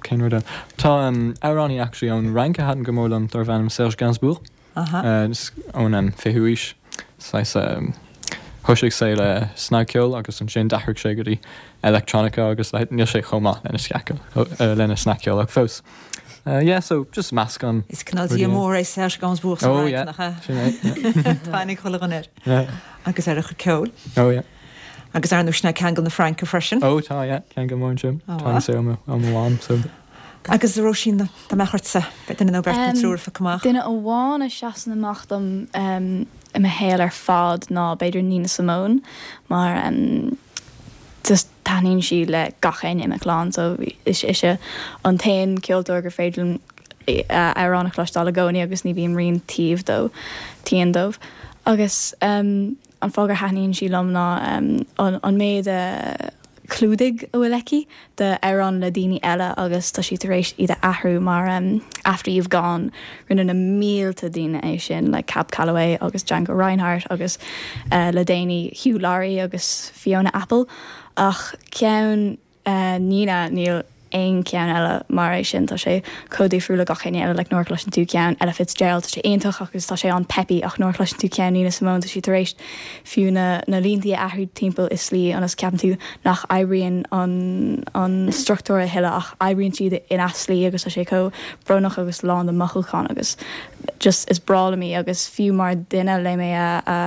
cén rud eile. Tá um, amhránaí actually ón Fhrainc a thaitin go mór liom darb ainm Serge Gainsbourg. Aha. Uh, is ón um, fichiú haois saghas um, thosaigh sé le snagcheol agus ansin d'athraigh sé go dtí electronica agus le- níl sé chomh maith lena sceacha uh, lena snagcheol ach fós. Uh, yeah, so just meascán. Is cineál dia mór é Serge Gainsbourg sa Oh, Fhrainc, yeah. nach ea? Sin é, yeah. Tá aithne ag chuile dhuine air. Yeah. Agus ar a chuid ceoil. Oh, yeah. Agus ar ndóigh sin é ceangal na Fraince freisin. Oh, tá, yeah, ceangal mór ansin. Oh, Tá wow. sé ó mo mham, so. Agus a Róisín dá mbeadh ortsa, b'fhéidir duine nó beirt nó Um, triúr a phiocadh amach. Duine amháin a seasann amach dom um, i mo shaol ar fad ná b'fhéidir Nina Simone mar um, just taitníonn sí le gach éinne i mo chlann, so is ise an t-aon ceoltóir gur féidir liom uh, amhrán a chloisteáil i gcónaí agus ní bhím riamh tired dó tired dóibh. Agus um, an fáth gur thaitníonn sí liom ná um, an, an méid uh, clúdaigh a bhfuil aici de amhráin le daoine eile agus tá sí tar éis iad a athrú mar um, After You've Gone rinne na mílte daoine é sin le Cab Calloway agus Django Reinhardt agus uh, le déanaí Hugh Laurie agus Fiona Apple ach ceann uh, Nina níl aon ceann eile mar é sin tá sé chomh difriúil le gach éinne eile like nuair a chloiseann tú ceann Ella Fitzgerald tá sé iontach agus tá sé an-peppy ach nuair a chloiseann tú ceann Nina Simone tá sí tar éis fiú na, na línte a athrú timpeall i slí ionas ceapann tú nach oibríonn an, an struchtúr a thuilleadh ach oibríonn siad in aslí agus tá sé chomh brónach agus lán de mothúchán agus just is breá liom í agus fiú mar duine le mé a, a,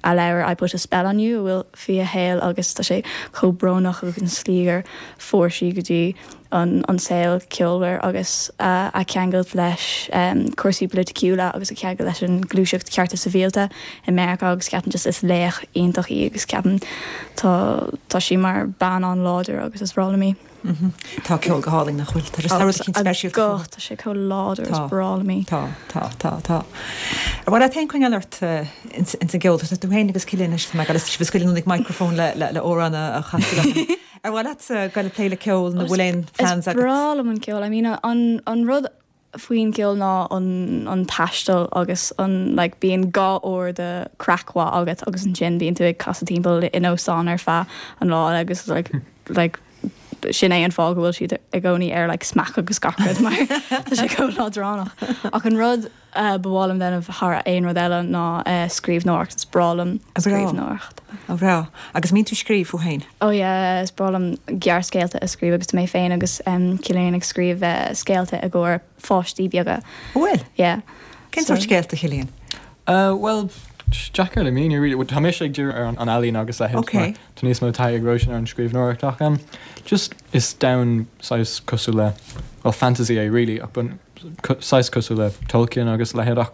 a leabhar I put a spell on you bhfuil fi a héil agus tá sé chomh brónach agus an slí gur fuair sí go dtí an, an saol ceolmhar agus uh, a ceangal leis um, cúrsaí polaitiúla agus a ceangal leis an gluaiseacht cearta sibhialta i Meiriceá agus ceapaim just is laoch iontach í agus ceapaim tá tá sí mar bean an-láidir agus is breá liom í. Tá ceol go hálainn nach bhfuil, Tá just speisialta Go tá sé chomh láidir is Tá. breá liom í. Tá, tá, tá, tá. Ar mhaith leat féin coinneáil ort ins an gceol, tá tú féin agus Cillian anois, tá mé ag dul sibh scaoileadh ag microphone le le le amhrán a chasadh. Ar mhaith leat go le plé le ceol nó bhfuil aon plans Is agat? breá liom an ceol. I mean an an rud faoin gceol ná an an taisteal agus an like bíonn dhá uair de craic mhaith agat agus ansin bíonn tú ag casadh timpeall in óstán ar feadh an lá agus like like sin é an fáth go bhfuil siad i gcónaí ar like smack agus gach rud mar tá sé chomh leadránach. Ach an rud uh, ba mhaith liom déanamh thar aon rud eile ná uh, scríbhneoireacht is breá liom A breá. scríbhneoireacht. Ó bhreá. Agus mbíonn tú ag scríobh thú féin. Ó yeah, is breá liom gearrscéalta a scríobh agus mé féin agus um, Cillian ag scríobh uh, scéalta i gcomhair pháistí beaga. Bhfuil? Yeah. Cén So- sórt scéalta Cillian? Uh, well, deacair le míniú really. Tá mise ag díriú ar an an ealaín agus le Okay. Tá níos mó taithí ag Róisín ar an scríbhneoireacht ach um, just is domhan saghas cosúil le well fantasy é really ach bun saghas cosúil le Tolkien agus leithéid ach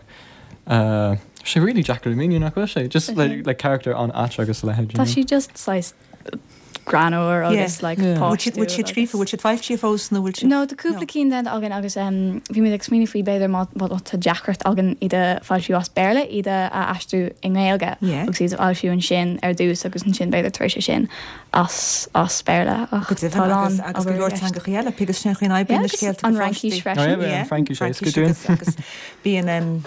uh, sé really deacair le míniú nach bhfuil sé just like, like character an ait agus leithéid. Tá sí just saghas greannmhar agus like páistí. Bhfuil siad scríofa, bhfuil siad foilsithe fós nó bhfuil siad? No, tá cúpla cinn déanta againn agus bhí muid ag smaoineamh faoi b'fhéidir má tá deacracht againn iad a foilsiú as Béarla, iad a aistriú i nGaeilge agus iad a fhoilsiú ansin ar dtús agus ansin b'fhéidir tar éis sin as as Béarla ach Go deimhin agus agus go leor teangacha eile, agus sin chuin oibríonn na scéalta an Fhraincis freisin. An Fhraincis é, go dúinn. Agus bíonn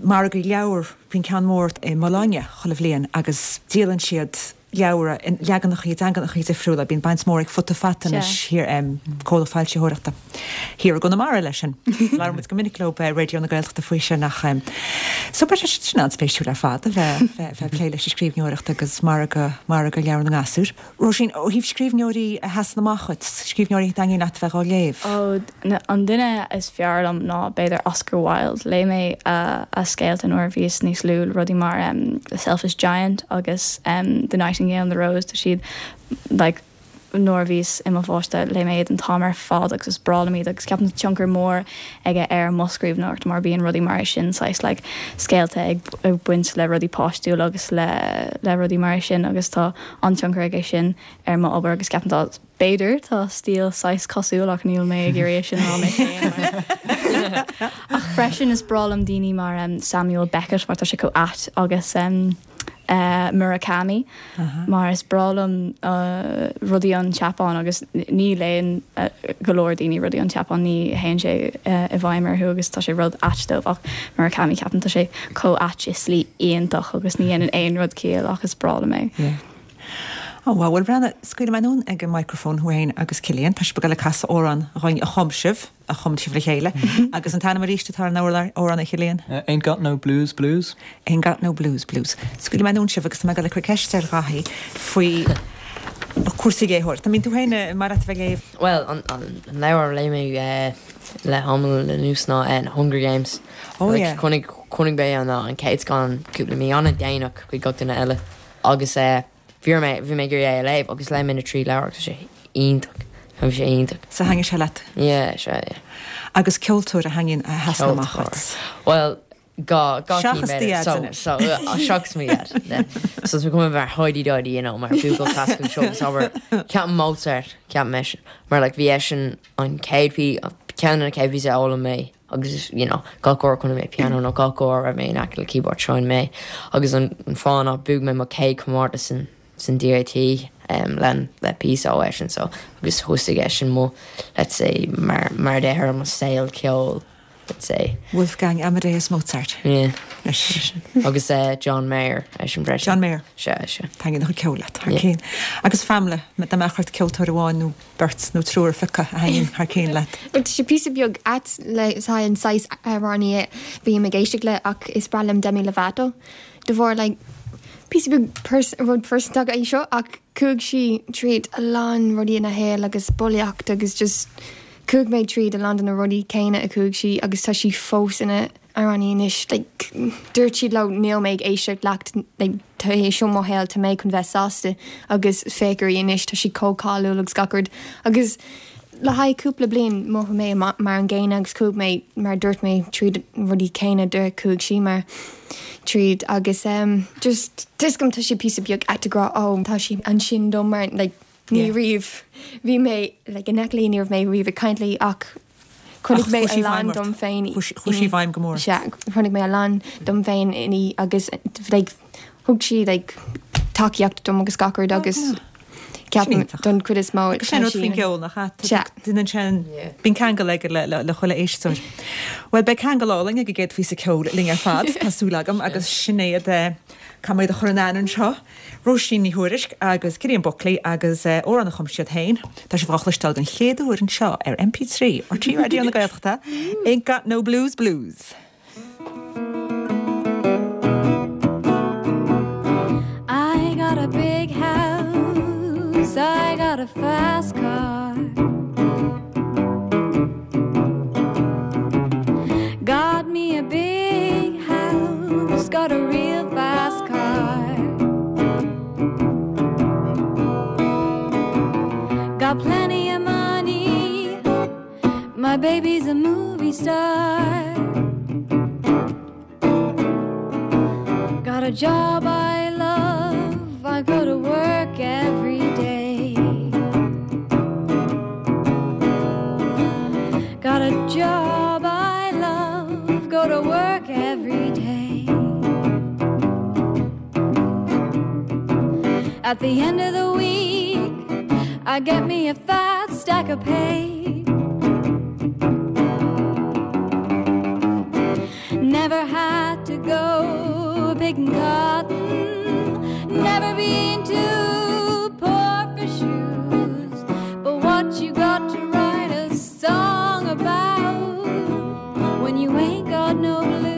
margaí leabhar, bíonn ceann mór i mBologna chuile bhliain agus díolann siad leabhra in leaganacha i dteangacha difriúla, bíonn baint mhór ag Futa Fata anois thiar comhlacht foilsitheoireachta thiar i gConamara leis sin. Labhair muid go minic leo Raidió na Gaeltachta faoi sin ach so beidh sé sin an-spéisiúil ar fad a bheith bheith ag plé leis an scríbhneoireacht agus margadh margadh leabhar na ngasúr. Róisín, ó thaobh scríbhneoirí a sheasann amach dhuit, scríbhneoirí a thaitníonn leat a bheith á léamh? Ó, an duine is fearr liom ná b'fhéidir Oscar Wilde. Léigh mé a a scéalta nuair a bhíos níos lú, rudaí mar The Selfish Giant agus The Nightingale and the Rose, tá siad like nuair a bhíos i mo pháiste léigh mé iad an t-am ar fad agus is breá liom iad agus ceapaim tá tionchar mór aige ar mo scríbhneoireacht mar bíonn rudaí mar sin saghas like scéalta ag ag baint le rudaí páistiúla agus le le rudaí mar sin agus tá an-tionchar aige sin ar mo obair agus ceapaim tá b'fhéidir tá stíl saghas cosúil ach níl mé ag iarraidh sin rá mé féin mar ach freisin is breá liom daoine mar um, Samuel Beckett mar tá sé chomh ait agus um, uh, Murakami mar is breá liom uh, rudaí ón tSeapáin agus ní léann uh, go leor daoine rudaí ón tSeapáin ní théann sé uh, i bhfeidhm orthu agus tá sé rud ait dóibh ach Murakami ceapaim tá sé chomh ait i slí iontach agus ní dhéanann aon rud ciall ach is breá liom é. Yeah. Oh, well, well Breanna, scaoilfidh mé anonn ag an microphone thú féin agus Cillian, tá sibh ag dul ag casadh amhrán dhúinn a chum sibh, a chum sibh le chéile. Agus an t-ainm arís atá ar an amhrán a Chillian? Uh, ain't got no blues blues. Ain't got no blues blues. Scaoilfidh mé anonn sibh agus tá mé ag dul ag cur ceist ar Dhaithí faoi cúrsaí léitheoireachta. Tá mín tú féin mar a bheith léamh? Well, an, an, an leabhar a léigh mé uh, le tamall anuas ná uh, Hunger Games. Oh, like, yeah. Chonaic chonaic mé an an chéad scannán cúpla mí an-déanach chuig gach duine eile. Agus uh, bhí mé bhí mé ag iarraidh é a léamh agus léigh mé na trí leabhar agus sé iontach. Bhí sé iontach. So thaitnigh sé leat? Yeah, sé, yeah. Agus ceoltóir a thaitníonn a sheasann amach dhuit? Well, dhá dhá Seachas cinn do b'fhéidir. dhaid So anois. so uh, seachas mo dhaid. Yeah. So tá cuma mar Heidi Diddy, you know, mar buachaill clasaiceach seo agus abair ceapaim Mozart, ceapaim eisean. Mar like bhí eisean an chéad pí ceann de na chéad píosa a fhoghlaim mé agus you know, gach uair chonaic mé piano nó gach uair a raibh mé in aice le keyboard sheinn mé agus an, an fáth ná bhuaigh mé mo chéad comórtas san san DIT um, le le píosa ó eisean so agus thosaigh eisean mo let's say mar mar deir mo saol ceoil let's say. Wolfgang Amadeus Mozart. Yeah. Leis. Agus uh, John Mayer eisean freisin. John Mayer. Se se. Taitníonn a chuid ceoil leat thar Yeah. cinn. Agus Pamela, dá mbeadh ort ceoltóir amháin nó beirt nó triúr a phiocadh a thaitníonn thar cinn leat. But sé píosa beag ait le an saghas amhránaí a bhím ag éisteacht le ach is breá liom Demi Lovato. De bharr like píosa beag pers rud pearsanta é seo ach chuaigh sí tríd a lán rudaí ina shaol agus bulaíocht agus just chuaigh mé tríd a lán de na rudaí céanna a chuaigh sí agus tá sí fós ina amhránaí anois like, dúirt siad leo níl mé ag éisteacht leat like, tá é seo mo shaol tá mé chun bheith sásta agus féach uirthi anois tá sí chomh cáiliúil agus gach rud agus le haghaidh cúpla bliain mhothaigh mé mar an gcéanna agus chuaigh mé mar dúirt mé tríd rudaí céanna a chuaigh sí mar tríd agus um, just tuigim tá sé píosa beag ait a rá ó tá sí ansin dom mar like, ní Yeah. riamh bhí mé like, in aice léi ní raibh mé riamh ag caint léi ach chonaic Ach mé chuaigh sí a lán bhfeidhm dom ort. féin Chuaigh sí i bhfeidhm go mór. Se chonaic mé a lán dom féin inti agus like, thug sí like, tacaíocht dom agus gach rud agus ceapaim Iontach. don chuid is mó Agus sin rud faoin gceol nach Se. Duine sin Yeah. bíonn ceangal aige le le le chuile éisteoir. Well beidh ceangal álainn ag an gcéad phíosa ceoil linn ar fad tá súil agam agus Sinéad Caméad a chur an seo. Róisín Ní Thuairisg agus Cillian Buckley agus eh, amhrán a chum siad féin, Tá sibh á chloisteáil den chéad uair anseo ar M P trí ar R T Raidió na Gaeltachta, Ain't Got No Blues Blues. I got a big house, I got a fast car. Got me a big house, got a real fast car. Got plenty of money, my baby's a movie star. Got a job I love, I go to work every At the end of the week, I get me a fat stack of pay. Never had to go picking cotton, never been too poor for shoes. But what you got to write a song about when you ain't got no blues?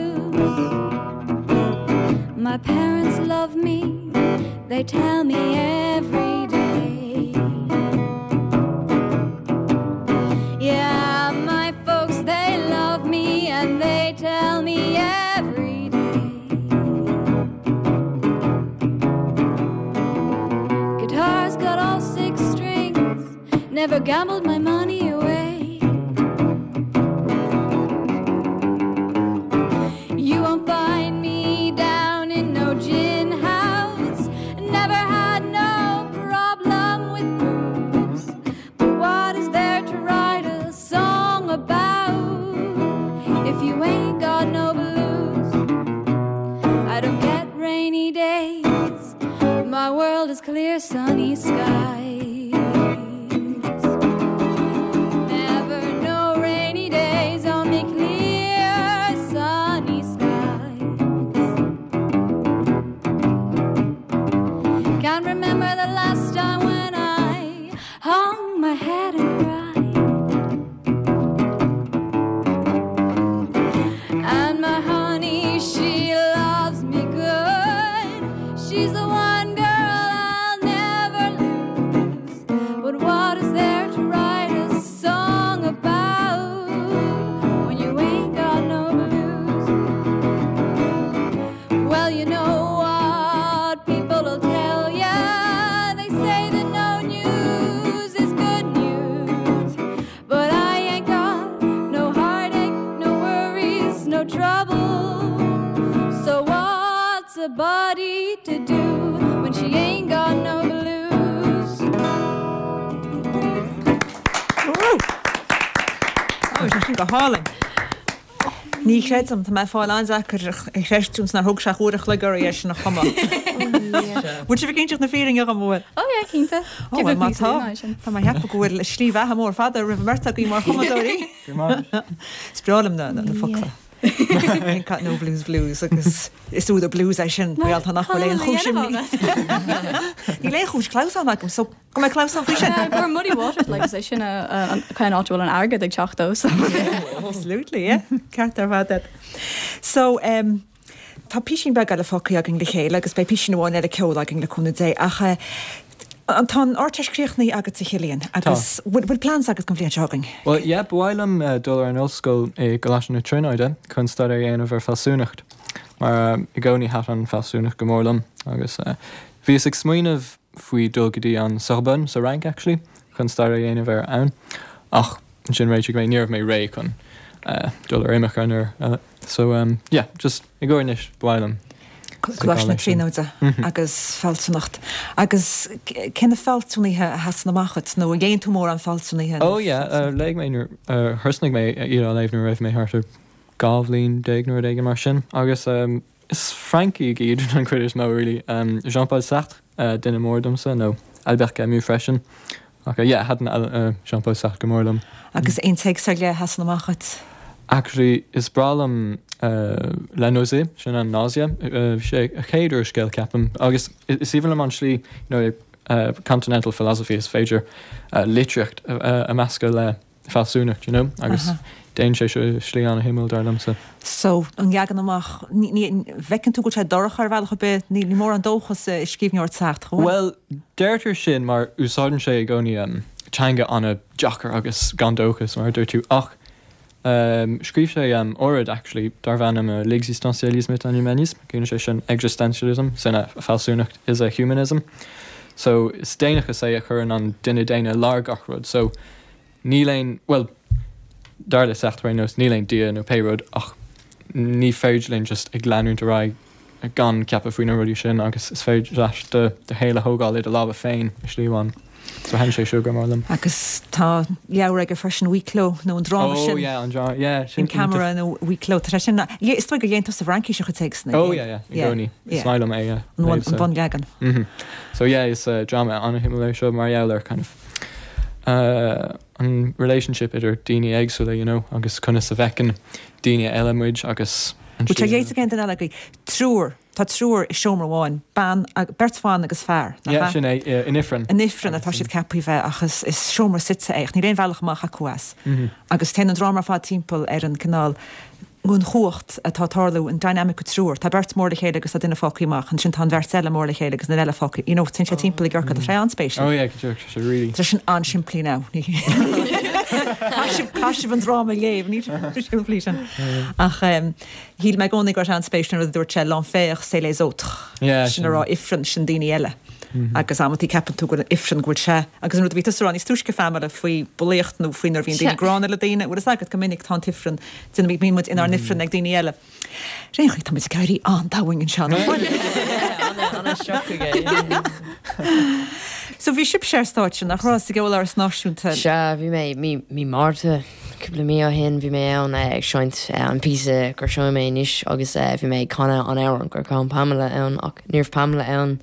My parents love me, they tell me every day. Yeah, my folks, they love me and they tell me every day. Guitar's got all six strings, never gambled my money away. You won't find me down in no gin house, never had no problem with booze. But what is there to write a song about if you ain't got no blues? I don't get rainy days, my world is clear sunny skies. Never no rainy days, only clear sunny skies. Can't remember the last time when I hung my head and cried. And my honey, she loves me good. She's the one girl I'll never lose. But what is there to write a song about when you ain't got no blues? Well, you know what people will tell ya. They say that no news is good news. But I ain't got no heartache, no worries, no trouble. So what's a body to do when she ain't got no blues? Ó, sé sin go hálainn. Ní chreidim tá mé fáil an-deacair a chreidiúint nár thóg sé uair an chloig oraibh é sin a chumadh. Bhfuil sibh ag inseacht na fírinne dhom bhfuil? Ó yeah, cinnte. Ó, well, má tá Tá mé ag ceapadh go bhfuil slí bheatha mór fada roimh an mbeirt agaibh mar chumadóirí. Is breá liom na na focla. Ain't got no blues blues agus is údar blues é sin réalta nach bhfuil aon chúis Níl aon chúis clamhsán agam so go mbeidh clamhsán faoi sin. Gur Muddy Waters like is é sin an cén áit bhfuil an airgead ag teacht ó. so. Absolutely, yeah. Ceart ar fad. So um, tá písín beag eile fágtha againn le chéile agus beidh písín amháin eile ceoil againn le cúnamh Dé ach eh, an tá an Ardteist críochnaithe agat a Chillian agus bhfuil bhfuil plans agat don bhliain seo chugainn. Well, yeah, ba mhaith liom uh, dul ar an ollscoil i gColáiste na Tríonóide chun staidéar a dhéanamh ar fealsúnacht. Mar um, i gcónaí thaitin an fealsúnacht go mór liom agus uh, bhíos ag smaoineamh faoi dul go dtí an Sorbonne sa Fhrainc actually chun staidéar a dhéanamh ar ann ach ansin réitigh mé ní raibh mé réidh chun uh, dul ar imirce nuair uh, so um, yeah, just i gcónaí anois ba mhaith liom. Coláiste na Tríonóide agus fealsúnacht. Agus cé na fealsúnaithe a sheasann amach duit nó dhéan tú mór an fealsúnaithe? Oh yeah, uh, léigh mé nuair uh, thosnaigh mé iad á léamh nuair a raibh mé thart ar dhá bhliain déag nó rud éigin mar sin agus um, is Francaigh iad an chuid is mó really. Um, Jean-Paul Sartre uh, duine mór domsa nó Albert Camus freisin. Ach uh, yeah, thaitin uh, Jean-Paul Sartre go mór liom. Agus aon téacs ar leith a sheasann amach duit. Actually, is breá liom uh, La Nausée, sin an nausea, uh, sé a chéad úrscéal ceapaim agus is aoibhinn liom an slí you know, uh, continental philosophy is féidir uh, litríocht uh, a meascadh le fealsúnacht, you know, agus déanann sé seo slí an-shuimiúil dar liomsa. So an leagan amach bhfeiceann tú go sé dorcha ar bhealach ar bith ní ní mór an dóchas i scríbhneoireacht Sartre. Well, deirtear sin mar úsáideann sé i gcónaí um, teanga an-deacair agus gan dóchas mar dúirt tú ach um, scríobh sé um, oráid actually darbh ainm uh, l'existentialisme est un humanisme, ciallaíonn sé sin existentialism, sin a fealsúnacht is a humanism. So is daonnachas é a chuireann an duine daonna lár gach rud. So níl aon well dar le Sartre ar nós níl aon Dia nó pé rud ach ní féidir linn just ag leanúint ar aghaidh gan ceapadh faoi na rudaí sin agus is féidir leat do do shaol a thógáil i do lámha féin i slí amháin. So thaitin sé seo go mór liom. Agus tá leabhar aige freisin Huis Clos nó an dráma Oh sin. yeah, an dráma, yeah, sin In camera nó Huis Clos. Tá sé sin yeah, is dóigh gur léann tú sa bhFraincis a chuid téacsanna. Oh yeah, yeah, i gcónaí. Is maith liom é, yeah. An bhun- Léamh, so. an bunleagan. Mhm. So yeah, is uh, drama an-shuimiúil é seo mar gheall ar kind of uh, an relationship idir daoine éagsúla, you know, agus conas a bhfeiceann daoine eile muid agus an Bhuel tá slí- léite again den eile agaibh. Triúr, tá triúr i seomra amháin, bean ag- beirt bhan agus fear. nach Yeah, ea? sin é, yeah, in ifreann. In ifreann atá siad ceaptha bheith ach is, is seomra suite é, ach níl aon bhealach amach acu as. Mhm. Agus téann an dráma ar fad timpeall ar an cineál an chumhacht atá tarlú an dynamic triúr. Tá beirt mór le chéile agus tá duine fágtha amach, ansin tá an bheirt eile mór le chéile agus na eile fágtha. You know, téann sé timpeall i gciorcal, tá sé an-spéisiúil. Oh yeah, go sé really. Tá sin an-simplí now. Caithfidh an dráma léamh ní simplí sin. Ach um, shíl mé i gcónaí go an-spéisiúil rud a dúirt sé l'enfer c'est les autres. Yeah, sin a rá ifreann sin daoine eile. Mhm. Agus amanta ceapann tú go ifreann go bhfuil sé agus an rud a bhí tusa níos túisce Pamela faoi bulaíocht nó faoi nuair bhíonn daoine Sea. gránna le daoine, bhfuil agat go minic tá ifreann duine bhí muid inár n-ifreann ag daoine eile. Ré chuid tá muid ag éirí an-domhain anseo. So bhí sibh ar stáitse nach raibh sa gCeoláras Náisiúnta. Sea, bhí mé mí mí Márta cúpla mí ó shin bhí mé ann eh, ag seinnt eh, an píosa gur seo mé anois agus eh, bhí mé ag canadh an amhrán gur chan Pamela ann ach ní raibh Pamela ann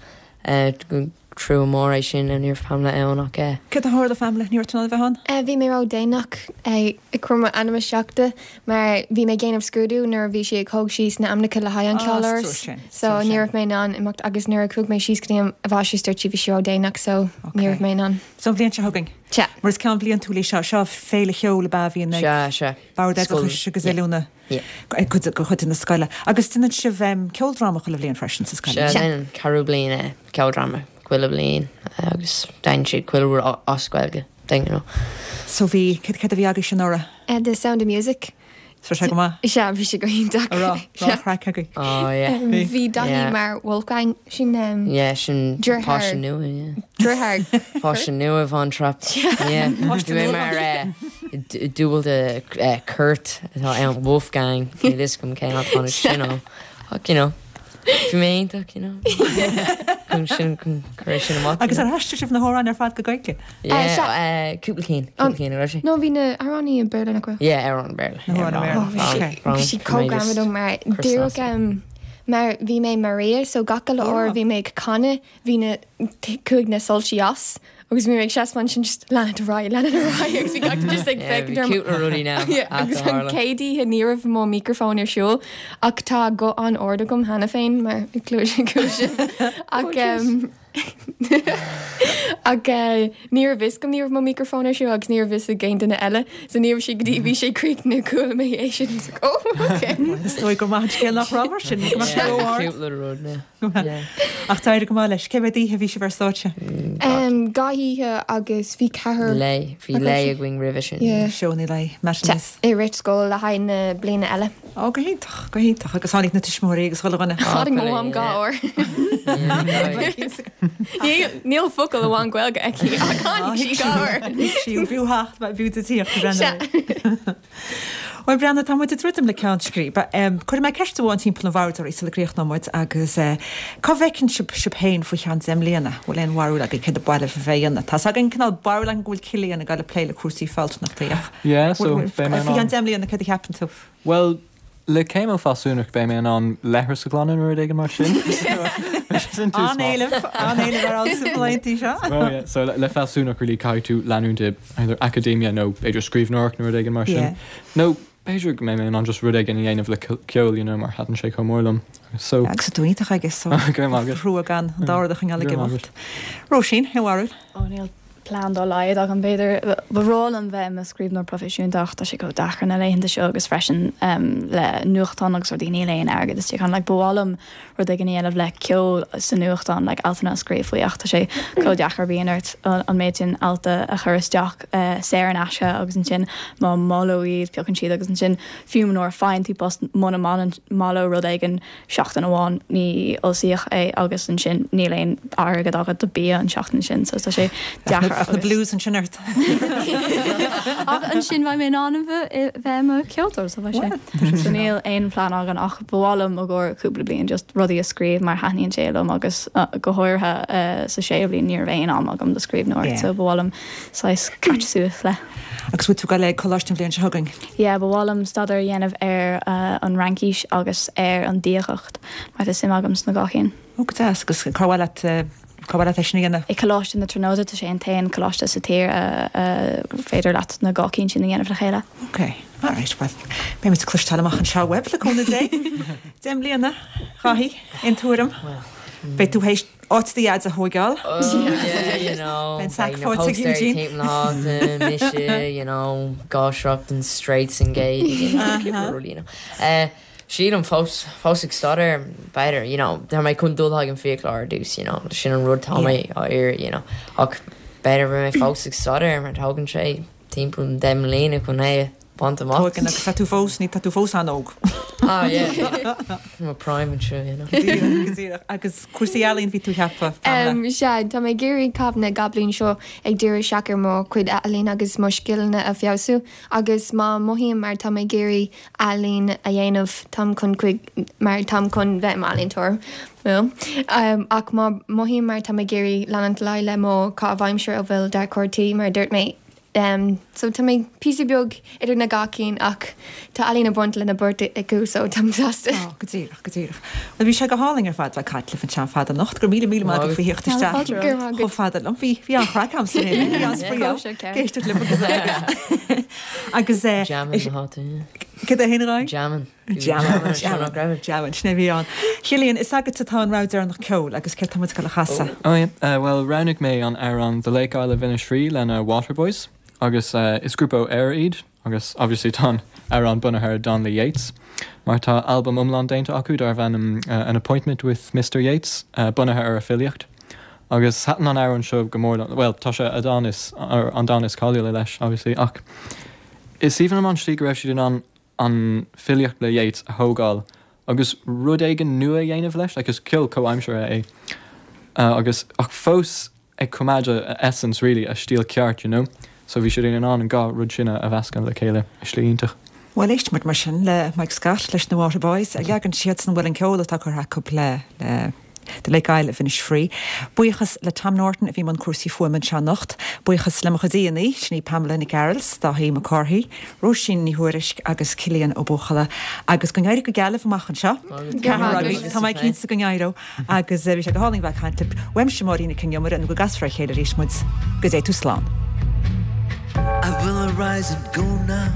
eh, go trua mór é sin ní raibh Pamela ann ach eh, Cad a tharla Pamela ní raibh tú bheith ann? Eh, Bhí mé ró-dhéanach ag cur m'ainm isteach de mar bhí mé ag déanamh scrúdú nuair a bhí sí ag tóg síos na hainmneacha le haghaidh an Ah, ceoláras. sin, So ní raibh mé in ann imeacht agus nuair a chuaigh mé síos go dtí an bháisiú dúirt sí bhí sí ró-dhéanach so ní raibh mé in ann. So an bhliain seo chugainn. Sea. Mar is ceann bliantúil é seo seo féile cheoil a bhíonn ag Sea, sea. Bord Scoil, Oideachais agus yeah. Oiliúna Yeah. ag cuid go chuid na scoile. Agus déanann sibh um, ceoldráma chuile bhliain freisin sa scoil. Sea, déanann ceathrú bliain eh, ceoldráma chuile bliain eh, agus déanann siad chuile rud a- as Gaeilge, you know. So bhí cad cad a bhí agaibh sin anuraidh? Uh, The Sound of Music. So sé go maith? Sea, bhí sé go hiontach. Rá Sea. craic agaibh. Oh, yeah. Um, Bhí Daithí Yeah. mar Wolfgang sin um, Yeah, sin Deartháir. páiste nua, yeah. Deartháir. Páiste nua Von Trapp. Yeah. Páiste Bhí mé nua. mar eh, d- dúbailt de eh, Kurt atá ann Wolfgang ní fhios agam cén tháinig sin ó. Ach, you know, bhí mé iontach, you know. Chun sin chun cur sin amach. Agus ar aistrigh sibh na hamhráin ar fad go Gaeilge? Yeah, sea. eh, cúpla cinn, cúpla cinn ar sé. No bhí na hamhráin i Béarla nach bhfuil. Yeah, amhráin Béarla. Na hamhráin Béarla. Oh, bhí sé- Wrong. bhí sí chomh mar díreach um, mar bhí mé Maria so gach uile uair bhí mé ag canadh bhí na chuaigh na soilse as agus bhí mé ag seasamh sin just lean ar aghaidh lean ar aghaidh agus bhí gach just ag Yeah, féachaint bhí orm. cúpla rudaí now Yeah, at agus the an Harlem. chéad oíche ní raibh mo microphone ar siúl ach tá guth an-ard agam cheana féin mar clúise cúise ach um, ach eh, ní raibh fhios agam ní raibh mo microphone ar siúl agus ní raibh fhios ag aon duine eile so ní raibh sé go dtí bhí sé críochnaithe chuala mé é sin It's like, oh, okay. Is dóigh gur maith scéal nach raibh mar sin go Yeah, ró-ard. cúpla rud now. Yeah. Ach d'éirigh go maith leis, cé mhéad oíche bhí sibh ar stáitse? Um, dhá oíche agus bhí ceathair Lé, bhí Agus lé sí- againn roimhe sin. Yeah. Seónna lae matinees. i rith scoil le haghaidh na bliana eile. Ó go hiontach go hiontach agus tháinig na tuismitheoirí agus chuile dhuine. Tháinig mo mham dhá uair. Níl níl focal amháin Gaeilge aici ach tháinig sí dhá uair. Sí bhúhacht bhú tíocht Well Breandán tá muid ag druidim le ceann scríbe. Cuirfidh mé ceist amháin timpeall an bhoird oraibh sula gcríochnóidh muid agus eh, cá bhfeiceann sibh sibh féin faoi cheann deich mbliana bhfuil aon bharúil agaibh cad ba mhaith libh a bheith ina. Tá againn cineál barúil go bhfuil Cillian ag dul ag plé le cúrsaí fealsúnachta. Yeah, so beidh mé in Faoi ann- cheann deich mbliana cad a cheapann tú. Well, le céim ó fealsúnacht beidh mé in ann leithreas a ghlanadh nó rud éigin mar sin. Sin tús maith. An-éileamh an-éileamh ar an seo. Well, yeah, so le, le fealsúnacht really caithfidh tú leanúint i either academia nó b'fhéidir scríbhneoireacht nó rud éigin mar sin. Yeah. No b'fhéidir go mbeidh mé in ann just rud éigin a dhéanamh le ceol, you know, mar thaitin sé chomh mór liom. So Agus tú iontach agus so Go maith agat. thrua gan an dord a choinneáil ag Go maith imeacht. Róisín, aon bharúil? Ó níl plean dá laghad agam b'fhéidir ba bhreá liom bheith i mo scríbhneoir proifisiúnta ach tá sé chomh deacair na laethanta seo agus freisin um, le nuachtán agus rudaí níl aon airgead istigh ann like, ba mhaith liom rud éigin a dhéanamh le ceol sa nuachtán like, altanna a scríobh faoi ach tá sé chomh deacair bíonn ort an an méid sin alta a chur isteach uh, saor in aisce agus ansin má moladh iad piocann siad agus ansin fiú nuair a fhaigheann tú post muna moladh rud éigin seachtain amháin ní fhoilsíodh é agus ansin níl aon airgead agat do bia an seachtain sin so tá sé deacair Ach na blues ansin ort. Ach ansin bheidh mé in ann bheith i mo cheoltóir so bheidh sé. So níl aon plean agam ach ba mhaith liom i gcomhair cúpla bliain just rudaí a scríobh mar thaitníonn sé liom agus uh, go háirithe uh, sa séú bliain ní raibh aon am agam do scríbhneoireacht, Yeah. so ba mhaith liom saghas catch suas le. Agus bhfuil tú ag dul ag coláiste an bhliain seo chugainn. Yeah, ba mhaith liom staidéar a dhéanamh ar uh, an Fhraincis agus ar an diagacht mar tá suim agam sna dhá cheann. Ó go deas agus cá bhfuil cá bhfuil sin dhéanamh. I Coláiste na Tríonóide tá sé an t-aon coláiste sa tír uh, féidir leat na dhá cheann sin a dhéanamh le chéile. Ok, alright, well, beimid ag cloisteáil amach anseo uaibh le cúnamh Dé. Deich mbliana chaithí in tuairim. Beidh tú théis áit do dhaid a thógáil. Oh, yeah, you know, Ben sac beidh na fáilte póstaerí Eugene. timpeall na háite, mise, you know, gáisreacht and straights and gay, you know, cúpla rud, you know. Uh, sílim fós fós ag staidéar b'fhéidir, you know, tá mé chun dul ag an fiaclóir ar dtús, you know, sin an rud tá mé á iarraidh, you know, ach b'fhéidir bheidh mé fós ag staidéar mar tógann sé timpeall deich mbliana chun é a bhaint amach. Tógann agus tá tú fós ní tá tú fós an-óg. Ah, yeah. I'm a prime and sure, you know. Go díreach. Agus cúrsaí ealaíon bhí tú ceaptha. Um, sea, tá mé ag iarraidh caitheamh na dhá bliain seo ag díriú isteach ar mo chuid ealaíon agus mo scileanna a fheabhsú agus má mothaím mar tá mé ag iarraidh ealaín a dhéanamh táim chun chuig mar táim chun bheith ealaíontóir. Well, um, ach má mothaím mar tá mé ag iarraidh leanúint le le mo chaitheamh aimsire a bhfuil dearcóir tí mar dúirt mé. Um, so tá mé píosa beag idir na dhá cheann ach tá ealaín ag baint lena beirt acu so táim sásta. Oh, go díreach, go díreach. Well bhí sé go hálainn ar fad bheith ag caint libh anseo fada anocht, gur míle míle maith faoi theacht isteach. Go raibh maith agat. Chomh fada liom bhí bhí an-chraic agam san é, bhí an-spraoi Go sé ceart. Éisteacht libh agus agus agus eh, Jamming na háite. Cad é héin rá? Jamming. Jamming, jamming, jamming, sin é bhí ann. Cillian, is agat atá an rogha deireanach ceoil agus céard tá muid ag dul a chasadh. Oh, yeah. Uh, well, roghnaigh mé an amhrán The Lake Isle of Innisfree lena Waterboys agus uh, is grúpa ó Éire iad agus obviously tá an amhrán bunaithe ar dán le Yeats. Mar tá album iomlán déanta acu darb ainm uh, an appointment with Mr. Yeats uh, bunaithe ar a filíocht. Agus thaitin an amhrán seo go mór well tá sé a dán is ar an dán is cáiliúla leis obviously ach is aoibhinn liom an slí go raibh siad in ann an filíocht le Yeats a thógáil agus rud éigin nua a dhéanamh leis, like is ceol comhaimseartha é. Uh, agus ach fós ag coimeád a essence really a stíl ceart, you know. So bhí siad in ann an dhá rud sin a mheascadh le chéile i slí iontach. Well éistfimid mar sin le Mike Scott leis na Waterboys a leagan siad san bhfuil an ceol atá curtha acu le le The Lake Isle of Innisfree. Buíochas le Tom Norton a bhí i mbun cúrsaí fuaime anseo anocht, buíochas le mo chuid aíonna, sin í Pamela Nic Gearailt, Dáithí Mac Cárthaigh, Róisín Ní Thuairisg agus Cillian Ó Buachalla, agus go n-éirí go geal libh amach anseo. Tá mé cinnte go n-éireoidh agus bhí sé go hálainn bheith ag caint libh. Uaimse Máirín Nic Con Iomaire nó go gcasfar a chéile arís muid go dté tú slán. I will arise and go now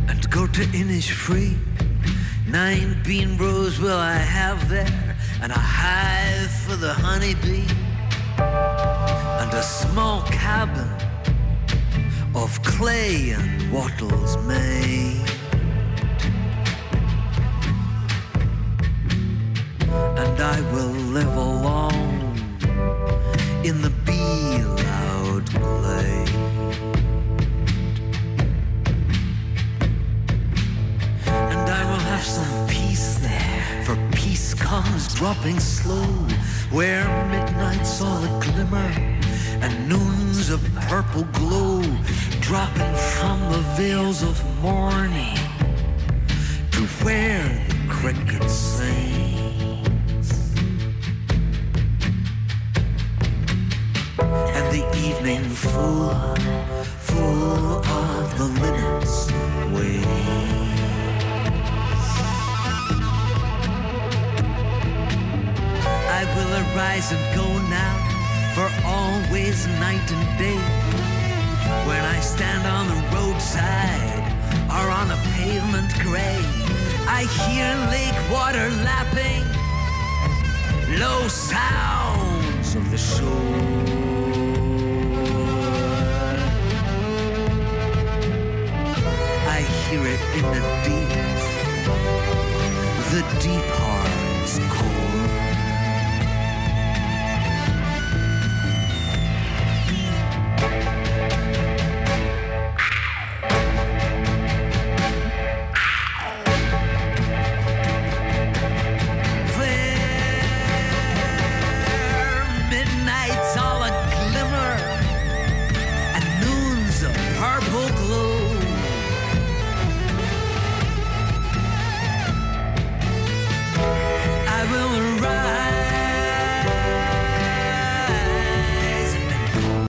and go to Innisfree. Nine bean rows will I have there, and a hive for the honeybee, and a small cabin of clay and wattles made. And I will live alone in the bee-loud glade. And I will have some peace there, for peace comes dropping slow, where midnight's all a glimmer and noon's a purple glow, dropping from the veils of morning to where the cricket sings. And the evening full, full of the linnet's wings. I will arise and go now, for always night and day. When I stand on the roadside or on a pavement gray, I hear lake water lapping, low sounds of the shore. I hear it in the deep, the deep